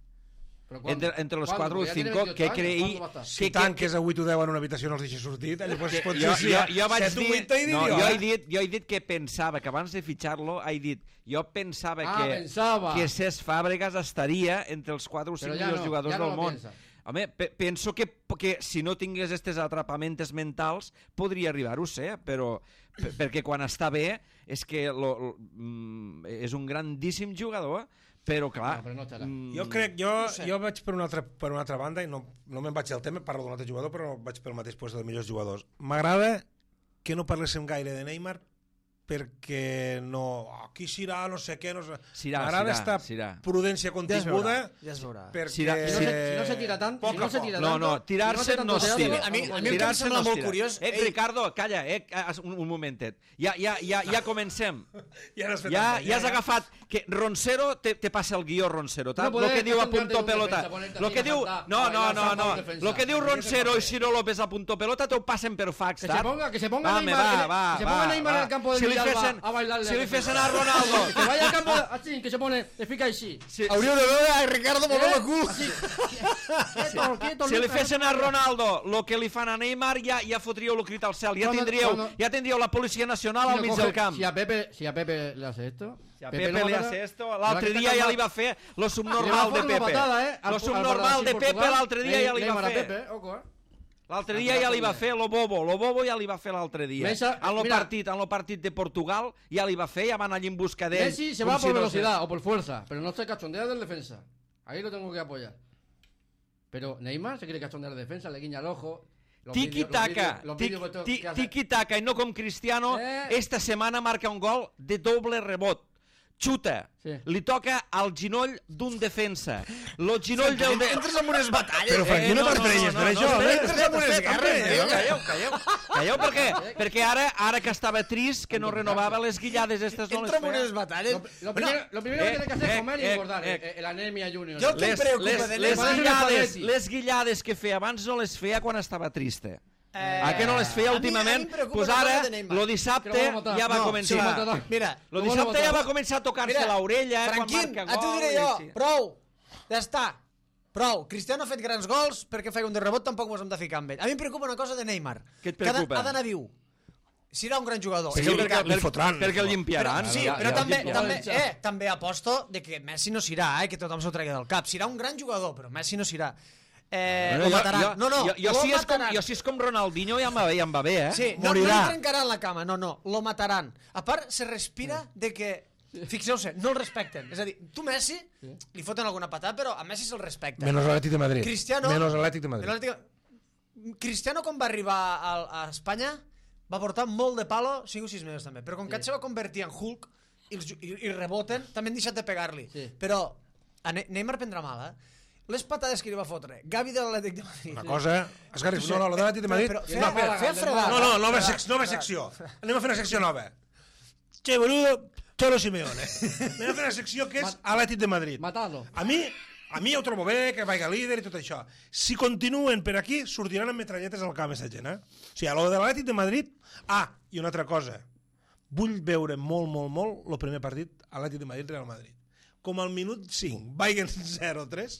¿Pero cuándo? entre, entre los ¿Cuándo? cuatro o Ya tiene cinco veintiocho que años, creí... ¿cuándo va a estar? Si que, que, tanques a vuit o deu en una habitació no els deixes sortir, llavors que, pot jo, ser jo, jo vaig set o dir, vuit i no, diria, jo, he eh? dit, jo he dit que pensava que abans de fitxar-lo he dit, jo pensava Ah, que, pensava. que Cesc Fàbregas estaria entre els quatre o cinc Però ja millors no, jugadors ja no del lo món. piensa. Home, pe penso que, que si no tingués aquestes atrapamentes mentals podria arribar-ho a ser, però per perquè quan està bé és que lo, lo, mm, és un grandíssim jugador, però clar... No, però no estarà. mm, Jo crec, jo, No sé. jo vaig per una, altra, per una altra banda i no, no me'n vaig del tema, parlo d'un altre jugador, però vaig pel mateix lloc dels millors jugadors. M'agrada que no parléssim gaire de Neymar perquè no... Aquí serà, no sé què... No sé... Sirà, M'agrada sirà, esta sirà. prudència continguda Ja es veurà. perquè... Sirà, Si no, se, si no se tira tant, Poc si no a se poc. tira No, tanto, no, tirarse si no se es tanto tira. teatro, A mi- a mi el que em Tirarse sembla no es molt tira. curiós- Eh, Ei. Ricardo, calla, eh, un, un momentet. Ja, ja, ja, ja comencem. Ja n'has fet Ja, el- ja has agafat... Que Roncero te, te passa el guió, Roncero. No Lo puedes que diu a concentrarte punto en un pelota. defensa, ponerte Lo aquí que a diu... saltar, No, a no, bailar no, salta no. un defensa. Lo que diu Tienes que Roncero y hacer. Ciro López a punto pelota te ho passen per fax, Que saps? se ponga, que se ponga Home, Neymar, va, que, va, que se va, ponga Neymar va. en el campo de Si li Villalba fesen- a bailarle. si li al fesen defensa. a Ronaldo. Que vaya al campo así, que se pone, te fica així. Si, Hauríeu de veure a Ricardo movent el cul. Así. Quieto, quieto, si li Lucas. fesen a Ronaldo lo que li fan a Neymar, ja, ja fotríeu el crit al cel. Ja Cuando- tindríeu, cuando- ja tindríeu la Policia Nacional Si al lo mig coge- del camp. Si a Pepe, si a Pepe le hace esto, Si a Pepe, no li matarà- hace esto, le va l'altre a quitar dia ja calma. li va fer lo Le va a subnormal de fotre una Pepe. patada, eh, al- Lo al subnormal de Brasil, Pepe Portugal. l'altre dia ja li va Neymar a fer. Pepe, ojo, eh. L'altre dia ja li va fer lo bobo, lo bobo ja li va fer l'altre dia. Mesa- En lo mira. partit, en lo partit de Portugal ja li va fer, ja van allí en busca d'ell. Messi se com va si por no velocidad o por fuerza, pero no se cachondea del defensa. Ahí lo tengo que apoyar. Pero Neymar se quiere cachondear de defensa, le guiña el ojo. Los vídeos- los Tiki-taka, vídeos- los vídeos que to- que hace- tiki-taka i no com Cristiano, Eh. esta setmana marca un gol de doble rebot. Xuta, Sí. li toca al ginoll d'un defensa. Lo ginoll del... De... Entres en unes batalles. Però, Franqui, no t'emprenyes per això, espera, eh? espera, Entres en unes espera, guerres, calleu, eh? calleu, calleu, calleu, perquè, perquè ara, ara que estava trist, que no renovava les guillades estes no les Entra en unes feia. batalles. Lo, lo Bueno, primero, lo primero eh, que tiene que hacer eh, es comer y eh, engordar. eh. eh, el anemia junior. Yo que- Les, preocupa les, de les, Neymar? guillades, Spalletti. les guillades que feia abans no les feia quan estava triste. Eh, a què no les feia a mi- últimament? a mi em preocupa Pues una cosa ara, de Neymar. lo Que dissabte lo van a matar. ja va No, començar. sí, lo van Mira, Lo Lo van a dissabte ja matar. va començar a tocar-se Mira, l'orella quan Franquín, marca a tu gol. diré i jo, així. prou, ja està, prou. Cristiano ha fet grans gols, perquè feia un de rebot tampoc mos hem de ficar amb ell. A mi em preocupa una cosa de Neymar. Què et que ha de- preocupa? Ha d'anar viu. Serà un gran jugador. Sí, És perquè- veritat. li fotran. Perquè el Però, limpiaran. sí, Ja, però ja, també, ja, també, ja. eh, també aposto de que Messi no serà, eh, que tothom s'ho tregui del cap. Serà un gran jugador, però Messi no serà. Eh, Bueno, lo jo- mataran. jo- no, no, jo, jo, lo si és com, mataran. jo si és com Ronaldinho ja em va bé, ja em va bé, eh? Sí, no, no Morirà. li trencaran la cama, no, no, lo mataran. A part, se respira de que, fixeu-se, no el respecten. És a dir, tu Messi, li foten alguna patada, però a Messi se'l respecta. Menys l'Atlètic de Madrid. Cristiano... Menys l'Atlètic de Madrid. l'Atlètic- Cristiano, quan va arribar a, a Espanya, va portar molt de palo, cinc o sis mesos també, però com que se va convertir en Hulk i, els, ju- i, i reboten, també han deixat de pegar-li. Sí. Però a Ne Neymar prendrà mal, eh? Les patades que li va fotre Gavi de l'Atlètic de Madrid. Una cosa... Esgarri, no, no, la de l'Atlètic de Madrid... Però, No, feia, feia, feia fregar. no, no, nova, sec nova secció. Anem a fer una secció nova. Che, boludo, Cholo Simeone. Anem a fer una secció que és Atlètic de Madrid. Matado. A mi, a mi ja ho trobo bé, que vaiga líder i tot això. Si continuen per aquí, sortiran amb metralletes al camp, aquesta gent, eh? O sigui, a lo de l'Atlètic de Madrid... Ah, i una altra cosa. Vull veure molt, molt, molt el primer partit Atlètic de Madrid-Real Madrid. Com al minut cinc vaiguen zero tres,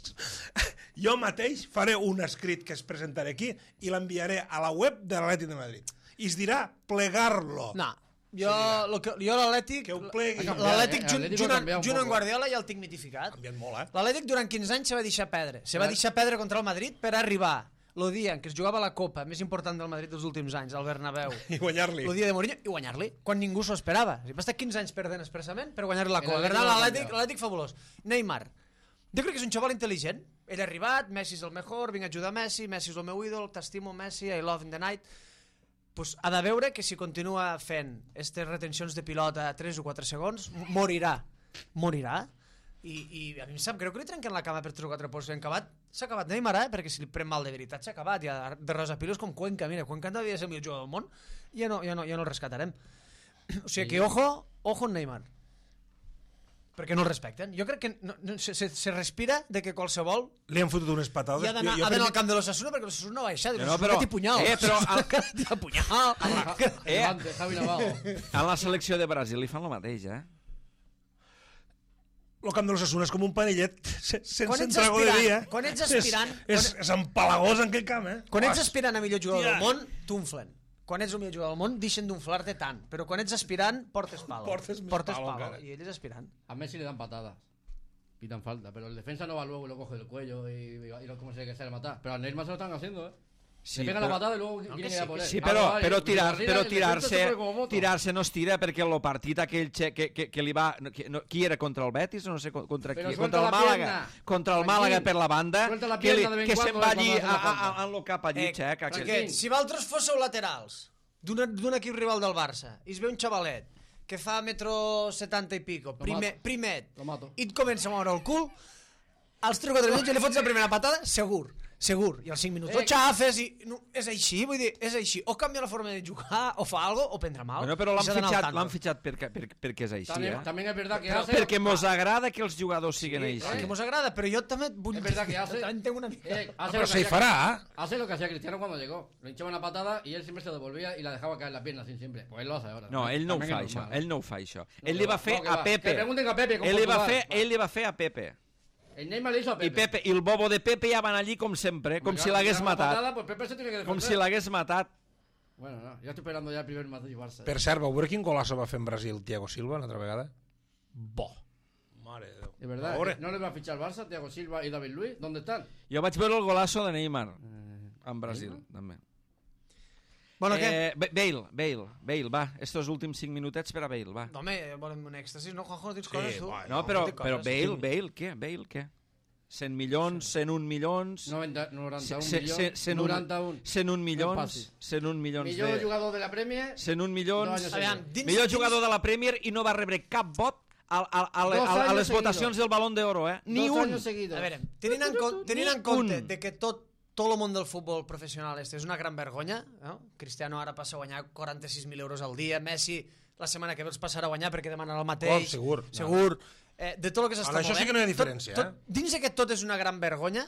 jo mateix faré un escrit que es presentaré aquí i l'enviaré a la web de l'Atlètic de Madrid. I es dirà plegar-lo. No, jo, lo que, jo l'Atlètic... Que ho plegui. L'Atlètic, Eh, junt, l'Atlético junt, ha canviat un junt poco. amb Guardiola ja el tinc mitificat. Ha canviat molt, eh? L'Atlètic durant quinze anys se va deixar perdre. Se va deixar perdre contra el Madrid per arribar el dia en què es jugava la Copa més important del Madrid dels últims anys, al Bernabéu. I guanyar-li. El dia de Mourinho i guanyar-li, quan ningú s'ho esperava. O sigui, va estar quinze anys perdent expressament per guanyar-li la El Copa. Per Atlético tant, no ha l'Atlètic canviat. l'Atlètic fabulós. Neymar. Jo crec que és un xaval intel·ligent. Ell ha arribat, Messi és el mejor, vinc a ajudar Messi, Messi és el meu ídol, t'estimo Messi, I love in the night. Pues ha de veure que si continua fent aquestes retencions de pilota a tres o quatre segons, morirà. Morirà. I, i a mi em sap greu que li trenquen la cama per tres o quatre pols. S'ha acabat, s'ha acabat Neymar, eh? Perquè si li pren mal de veritat s'ha acabat. Ja de rosa pilos com Cuenca. Mira, Cuenca devia ser el millor jugador del món. Ja no, ja no, ja no el rescatarem. O sigui que ojo, ojo en Neymar. Perquè no el respecten. Jo crec que no, no, se, se, se respira de que qualsevol Li han fotut unes patades. i ha d'anar Jo- jo ha d'anar al crec- camp de l'Osasuna perquè l'Osasuna no va baixar. No, No, però- però... Té punyal. eh, però al- Té punyal. Eh, Levante, Javi Navarro. a la selecció de Brasil li fan el mateix, eh? El camp de l'Osasuna és com un panellet se- sense Quan ets entrago de aspirant- dia. quan ets aspirant- És, és, és empalagós en aquell camp, eh? Quan ets aspirant a millor jugador Hòstia. del món, t'unflen. Quan ets el millor jugador del món, deixen d'unflar-te tant. Però quan ets aspirant, portes palo. Portes més portes palo, palo. encara. I ell és aspirant. A Messi le dan patadas. Pitan falta, pero el defensa no va luego y lo coge del cuello y, y lo, como se que sale matar. Pero a Neymar se lo están haciendo, ¿eh? Sí, le pega però- la patada y luego quieren que ir sí, a por que él. Sí, Ah, però, vale, però, y tirar, arriba però el defensa se tirar-se fue como moto. tirar-se no es tira perquè el partit aquell che, que, que, que li va... Que, no, qui era? Contra el Betis? No sé contra Però qui. suelta Contra el la Màlaga. pierna. Contra el Tranquil. Màlaga per la banda. Suelta la que, li, pierna de vez que en se'n cuando va allí cuando a, hace una a, falta. a, en lo cap allí, Eh, xec. perquè si vosaltres fóssiu laterals d'un d'un equip rival del Barça i es ve un xavalet que fa metro setanta i pico, primer, primet, i et comença a moure el cul, als tres o quatre minuts i li fots la primera patada, segur. Segur, i als cinc minuts o xafes i... No, és així, vull dir, és així. O canvia la forma de jugar, o fa algo, o prendre mal. Bueno, però l'han fitxat, l'han fitxat perquè, perquè, perquè és així, también, eh? También es verdad que però, hace... Perquè mos agrada que els jugadors siguin sí, així. Perquè mos agrada, però jo també vull... Es verdad que hace... També tengo una mica... Eh, hace pero lo se que fará. hacía, hace lo que hacía Cristiano cuando llegó. Le hinchaba una patada y él siempre se devolvía y la dejaba caer la pierna así siempre. Pues él lo hace ahora. No, ell no ho También fa, es això. normal, Ell no ho fa, això. No, Ell li va no, fer que a va. Pepe. Que pregunten a Pepe, com ell li va Portugal. fer, Va. ell li va fer a Pepe. El Neymar le hizo a Pepe. I Pepe, i el bobo de Pepe ja van allí com sempre, com Mira, si l'hagués mira una matat. patada, pues Pepe se tiene que defender. Com si l'hagués matat. Bueno, no, yo estoy esperando ya el primer Madrid-Barça. Per cert, vau veure quin golaço va fer en Brasil Thiago Silva una altra vegada? Bo. Mare de Déu. Es verdad, Ahora. ¿no le va a fichar Barça, Thiago Silva y David Luiz? ¿Dónde están? Jo vaig veure el golaço de Neymar en Brasil, també. Bueno, què? Eh, Ba- Bale, Bale, Bale, va, estos últims cinc minutets per a Bale, va. No, home, volem un èxtasis, no, Juanjo, no tens Sí, coses, tu? bueno. No, però, dic però coses. Bale, Bale, què? Bale, què? cent milions, cent un milions... noventa, noventa un ce- milions. ce- cent un- noranta un. cent un milions, Passi. cent un milions Millor de... jugador de la Premier. cent un milions... Dos anys Aviam, dins, Millor dins, jugador de la Premier i no va rebre cap vot a, a, a, Dos a, a anys les votacions seguidos. del Balón d'Oro, eh? Ni Dos un! años seguidos. A veure, tenint en, con, tenint en Ni compte un. de que tot, tot el món del futbol professional este és una gran vergonya, no? Cristiano ara passa a guanyar quaranta-sis mil euros al dia, Messi la setmana que ve els passarà a guanyar perquè demanen el mateix. Oh, segur. Segur. Eh, de tot el que s'està Ara, això sí que no hi ha diferència, tot, tot, dins que tot és una gran vergonya,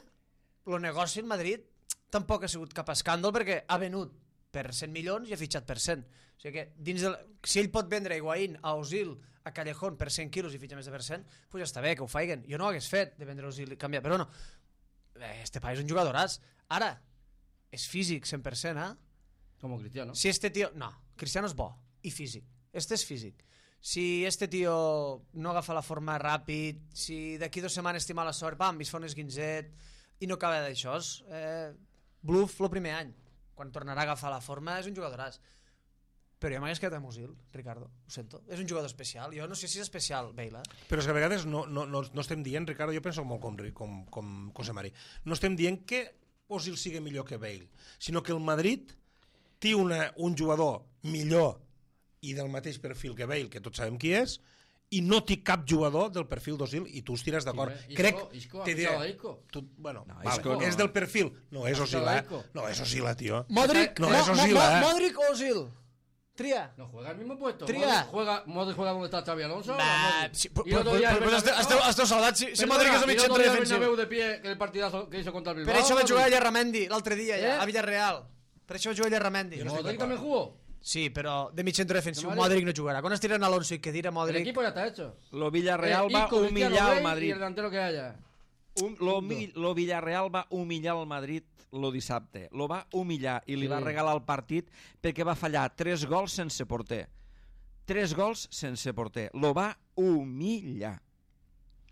el negoci en Madrid tampoc ha sigut cap escàndol perquè ha venut per cent milions i ha fitxat per cent. O sigui que dins del, si ell pot vendre a Higuaín, a Osil, a Callejón per cent quilos i fitxa més de per cent, doncs ja està bé, que ho faiguen. Jo no ho hagués fet de vendre Osil i canviar, però no. Este país és un jugadoràs. Ara, és físic cent per cent, eh? Como Cristiano. Si este tío... No, Cristiano és bo i físic. Este és físic. Si este tío no agafa la forma ràpid, si d'aquí dues setmanes té mala sort, pam, es fa un esguinzet i no acaba d'això, eh, bluff el primer any. Quan tornarà a agafar la forma és un jugadoràs. Però jo m'hagués quedat amb Osil, Ricardo, ho sento. És un jugador especial. Jo no sé si és especial, Bale. Eh? Però és que a vegades no, no, no, no estem dient, Ricardo, jo penso molt com, com, com José Mari, no estem dient que Osil sigui millor que Bale, sinó que el Madrid té una, un jugador millor i del mateix perfil que Bale, que tots sabem qui és, i no té cap jugador del perfil d'Osil, i tu estiràs d'acord. Sí, Crec... Isco, Isco, te ha diré, fichado a Isco. tu, bueno, No, vale, Isco no. és del perfil. No, és Ha Osil, fichado a eh? Isco. No, és Osil, tio. Modric, No, Mo- és Mo- Osil, Mo- eh? Modric o Osil? Tria. No juega al mismo puesto. Tria. Modric juega, Modric juega donde está Xavi Alonso. Bah, Modric. sí, Y pues, el otro pues, día el pues, Bernabéu- esteu, esteu saudats. Si, si Perdona, Modric és el y el mig otro centre día el defensiu. Bernabéu de pie, que el partidazo que hizo contra el Bilbao. Per això va jugar Modric. Llarramendi l'altre dia, ja, Eh? a Villarreal. Per això va jugar Llarramendi. Jo no estic Modric d'acord. también jugó. Sí, però de mig centre defensiu, No, Modric Modric no jugarà. Quan estiren Alonso i que dirà El Modric... equipo ya está hecho. Lo Villarreal Eh, va Isco, Cristiano, humillar Bale al Y Madrid. el delantero que haya. Um, lo, mi- lo Villarreal va humillar el Madrid lo dissabte. Lo va humillar i li Sí. va regalar el partit perquè va fallar tres gols sense porter. Tres gols sense porter. Lo va humillar.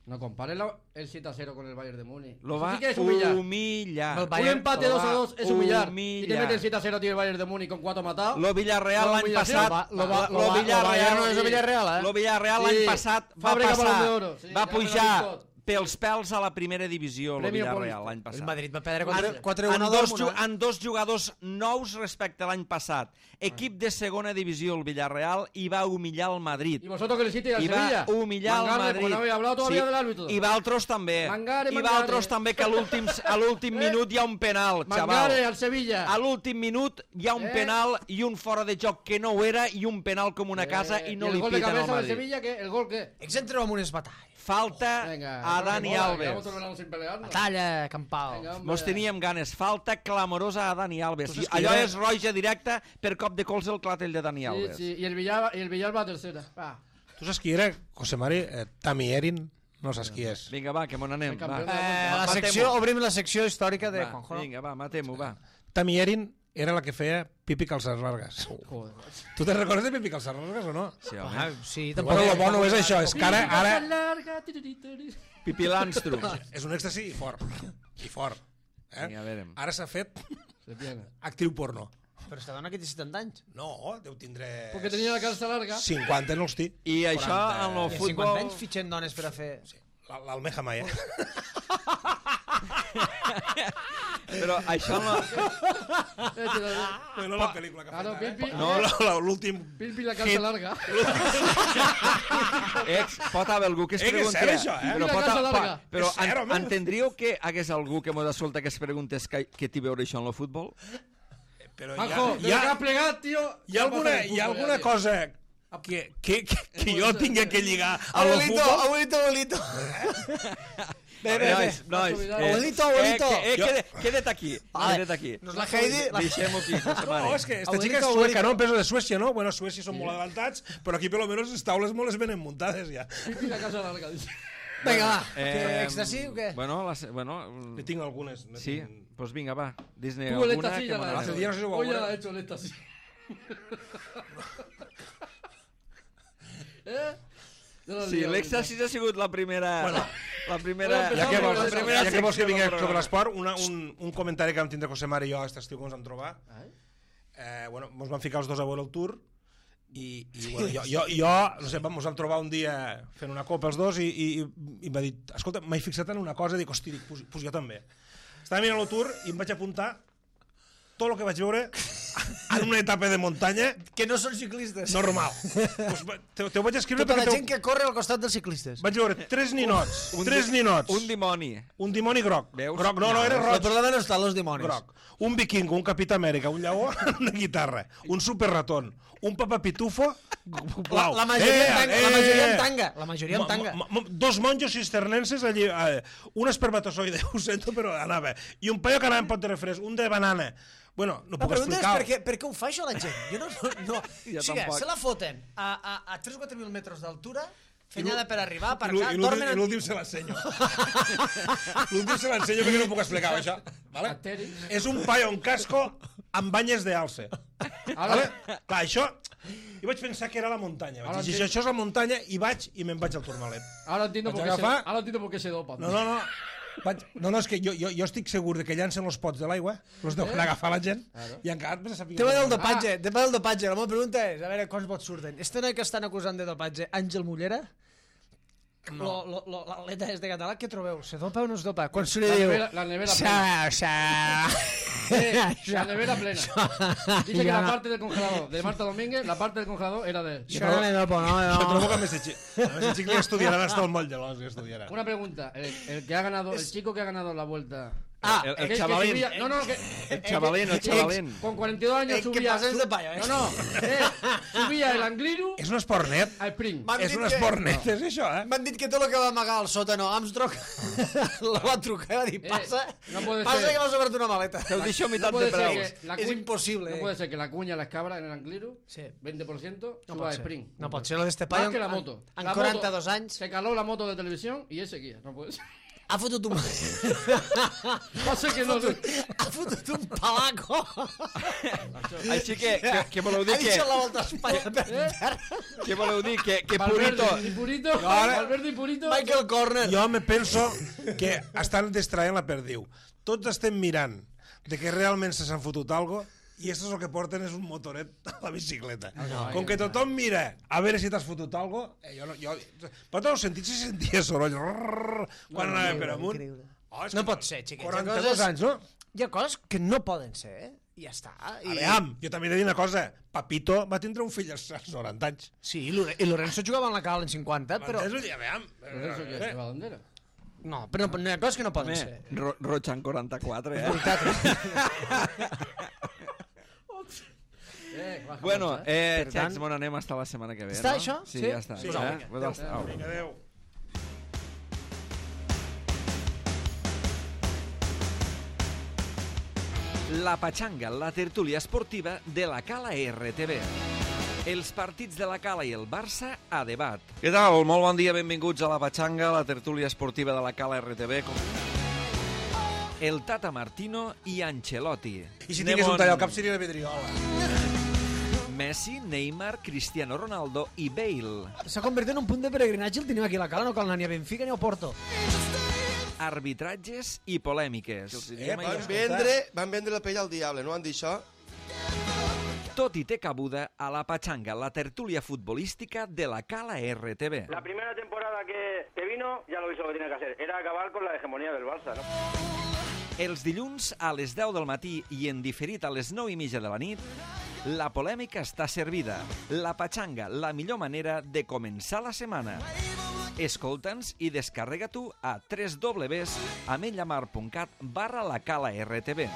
No compare la- el siete a cero con el Bayern de Múnich. Lo Eso va sí que es humillar. humillar. El Un Bayern empate lo dos a va dos es humillar. Y te humillar. mete el siete a cero, tío, el Bayern de Múnich con cuatro matados. Lo Villarreal No, l'any humillació. passat... Lo va- lo va- lo lo va- Villarreal- lo Bayern no és el Villarreal, eh? Lo Villarreal Sí. l'any passat va Fàbrica passar... Balón d'Oro, sí, va ja pujar me lo pels pèls a la primera divisió, lo Premio Villarreal, Paulista. l'any El passat. Madrid va perdre En, quatre en, a dos, ju- Dortmund. en dos jugadors nous respecte a l'any passat. Equip de segona divisió, el Villarreal, i va humillar el Madrid. Y vosotros que le hiciste al I Sevilla. va humillar el Mangare, Madrid. porque no habéis hablado todavía del árbitro. I Valtros també. Mangare, I Mangare. Valtros també, que a l'últim a l'últim Eh? minut hi ha un penal, Mangare xaval. al Sevilla. A l'últim minut hi ha un Eh? penal i un fora de joc que no ho era i un penal com una casa Eh, i no el li gol de piten al cabeza del Madrid. Sevilla, ¿qué? ¿El gol qué? Ells entreu amb unes batalles. Falta Venga, a Dani mola, Alves. llevamos todo el verano sin pelearnos. Batalla, campal. Venga, hombre. Mos teníem ganes. Falta clamorosa a Dani Alves. Tu saps I qui allò era? és roja directa per cop de colze al clatell de Dani Sí, Alves. sí, y el Villalba, y el Villalba a tercera. Va. Tu saps qui era, José Mari? Eh, Tami Erin? No saps qui és. Vinga, va, que me n'anem. El campió Va. de Eh, la Matem-ho. secció, obrim la secció històrica de Va, Juanjo. no? vinga, va, matem-ho, va. Tami Erin era la que feia pipi calces largues. Joder. Tu te'n recordes de pipi calces largues o no? Sí, home. Ah, sí, Però bueno, el bo no és això, és que ara, ara larga. tiritiri. Pipi Landstrum. és un èxtasi i fort. I fort. Eh? Vinga, a veure. Ara s'ha fet Se tiene. actriu porno. Però esta dona que té setanta anys. No, deu tindre... Porque tenía la calza larga. cinquanta no els té. I això quaranta. en el I a futbol... cinquanta anys fitxen dones per a fer... Sí, l'Almeja Maya. Però això no... No, no la pel·lícula que ha Ah, no, fet, Pipi. eh? No, la- la- l'últim... Pilpi la calça larga. Ex, pot haver algú que es Eh, que és pregunti... cert, això, eh? Però, Mira, pot, casa pa, larga. però És cert, en, home. entendríeu que hagués algú que m'ho d'escoltar que es preguntés que, que té a veure això en el futbol? Però Juanjo, hi de ha, lo que hi has plegat, tio... ha, hi ha alguna, hi ha alguna cosa que, que, que, que jo tinga que lligar al Abuelito, futbol? abuelito, abuelito. Bé, bé, bé. Nois, nois, Abuelito, abuelito. Eh, que, eh, queda't, queda't aquí, Vale. queda't aquí. Nos la Heidi... La... Deixem-ho aquí, que se mare. No, és que esta Abuelito, chica és abuelito. sueca, no? Peso de Suècia, no? Bueno, Suècia són molt adelantats, però aquí per lo menos les taules molt les venen muntades ja. Pilpi la calça larga, dice. Vinga, va. Eh, Que extasi o què? Bueno, les, bueno, Ne tinc algunes. Ne sí, tinc... doncs pues vinga, va. Dis-ne Tú el alguna éxtasis que ya me la has Hace hecho. días no sé si lo Hoy ya hago, la ¿eh? ha hecho el éxtasis. ¿Eh? Yo no Sí, digo, l'èxtasis ha sigut la primera... Bueno, la primera... bueno, Ja que vols, la Empezamos, primera ja que, vols que secció vingui del sobre programa. l'esport, una, un, un comentari que vam tindre José Mare i jo aquest estiu que ens vam trobar. Ai. Eh, bueno, ens vam ficar els dos a veure el Tour i, i bueno, jo, jo, jo, no sé, vam, ens vam trobar un dia fent una copa els dos i, i, i m'ha dit, escolta, m'he fixat en una cosa, dic, hosti, dic, pues, pues jo també. Estava mirant el Tour i em vaig apuntar tot el que vaig veure en una etapa de muntanya Que no són ciclistes. normal. Pues, te, te ho vaig escriure Tota la perquè gent te, que corre al costat dels ciclistes. vaig veure tres ninots, Un tres di- ninots, Un dimoni. un dimoni groc, Veus? groc, no, no, era El roig, problema no està en els dimonis. groc, un vikingo, un capità Amèrica, un lleó, una guitarra, un superratón, un papapitufo La, blau. la, majoria, en tanga, la majoria en tanga. La majoria en Mo- tanga. mo- mo- dos monjos cisternenses allí, eh, un espermatozoide, ho sento, però anava, i un paio que anava en pot de refresc, un de banana. Bueno, no La puc pregunta és explicar. per què, per què ho fa això la gent? Jo no... no, no. Jo o sigui, tampoc. se la foten a, a, a tres o quatre mil metres d'altura, fenyada l'ú- per arribar, I l'ú- aparcar, i dormen... l'últim- i en- l'últim se l'ensenyo. L'últim se l'ensenyo perquè no puc explicar això. Vale? Asterix. És un paio amb casco amb banyes de alce. Ahora, Vale? Clar, això... Jo vaig pensar que era la muntanya. Vaig Ara dir, si entenc- això és la muntanya, i vaig i me'n vaig al Tourmalet. ahora entiendo por Vaig qué se, agafar- ahora entiendo por qué se dopa. No, no, no. Vaig... No, no, és que jo, jo, jo estic segur de que llancen els pots de l'aigua, els deuen agafar la gent, i encara et vas a saber... Tema del dopatge, tema del dopatge. La meva pregunta és, a veure, quants vots surten? Este noi que estan acusant de dopatge, Àngel Mullera? No. Lo, lo, lo, l'atleta és de català, què trobeu? Se dopa o no es dopa? Quan se li La diu... nevera- la nevera Sa, sa... Eh, la nevera plena. Dice que la parte del congelador de Marta Domínguez, la parte del congelador era de... Això no me dopo, no, Jo no. trobo que a més de xic, a més de xic li estudiaran hasta el moll de l'os, li estudiaran. Una pregunta, el, el que ha ganado, el chico que ha ganado la vuelta... Ah, El- el que- que chavalín. subía- no, no, que... El chavalín, el chavalín. Con cuarenta y dos años Eh, que subía... pases de payo, eh. No, no, eh, subía el Angliru És un esport net. al sprint. M'han És dit un que- esport net, és això, eh? M'han dit que tot el que va amagar al sòtano Armstrong la va trucar i va dir, passa, no puede passa ser. que m'has obert una maleta. Te ho deixo a No meitat puede de ser preu. que la És cuña- impossible, No eh. puede ser que la cuña las cabras en el Angliru, Sí. veinte por ciento, No suba pot a ser. sprint. No pot ser, lo d'este Más paio que la en- moto. en La quaranta-dos moto- anys. Se caló la moto de televisión y ese guía. No puede ser. Ha fotut un... Va a ser que no... ha fotut un palaco. Així que, que, que voleu dir Ha que... deixat la volta a Espanya per Eh? terra. Què voleu dir? Que, que Purito... Valverde y Purito. Valverde y Purito. Michael Corner. Jo me penso que estan distraient la perdiu. Tots estem mirant de que realment se s'han fotut algo i això és el que porten és un motoret a la bicicleta. no, Com que tothom mira a veure si t'has fotut algo, eh, jo no... Jo, però tots els sentits se sentia soroll. Rrrr, quan anava per amunt. increïble. Oh, és No que pot ser, xiquets. Hi ha quaranta-dos coses- anys, no? Hi ha coses que no poden ser, eh? I ja està. I... Aviam, jo també he de dir una cosa. Papito va tindre un fill als als noranta anys. Sí, i Lore- i Lorenzo jugava en la cal en cinquanta, però... M'entens? Aviam. Eso que es la bandera. No, però no, no hi ha coses que no poden Home, ser. Ro Rochan quaranta-quatre, eh? Eh, baja Bueno, marcha, eh. eh, Per Xecs, tant- bon anem hasta la setmana que ve, Està no? això? Sí, Sí? ja està. Sí. eh? Pues au, Pues au, au. Vinga, adéu. La Pachanga, la tertúlia esportiva de la Cala R T V. Els partits de la Cala i el Barça a debat. Què tal? Molt bon dia, benvinguts a la Pachanga, la tertúlia esportiva de la Cala R T V. Com... El Tata Martino i Ancelotti. I si tingués un tall al cap seria la vidriola. Messi, Neymar, Cristiano Ronaldo i Bale. S'ha convertit en un punt de peregrinatge, el tenim aquí a la cala, no cal anar ni a Benfica ni a Porto. Arbitratges i polèmiques. Eh, van, vendre, van vendre la pell al diable, no van dir això? Tot i té cabuda a la Pachanga, la tertúlia futbolística de la Cala R T V. La primera temporada que, que vino, ya lo hizo lo que tenía que hacer. Era acabar con la hegemonía del Barça, ¿no? Els dilluns a les deu del matí i en diferit a les nou i mitja de la nit, la polèmica està servida. La patxanga, la millor manera de començar la setmana. Escolta'ns i descarrega-t'ho a w w w punt ametlllamar punt cat barra la cala R T B.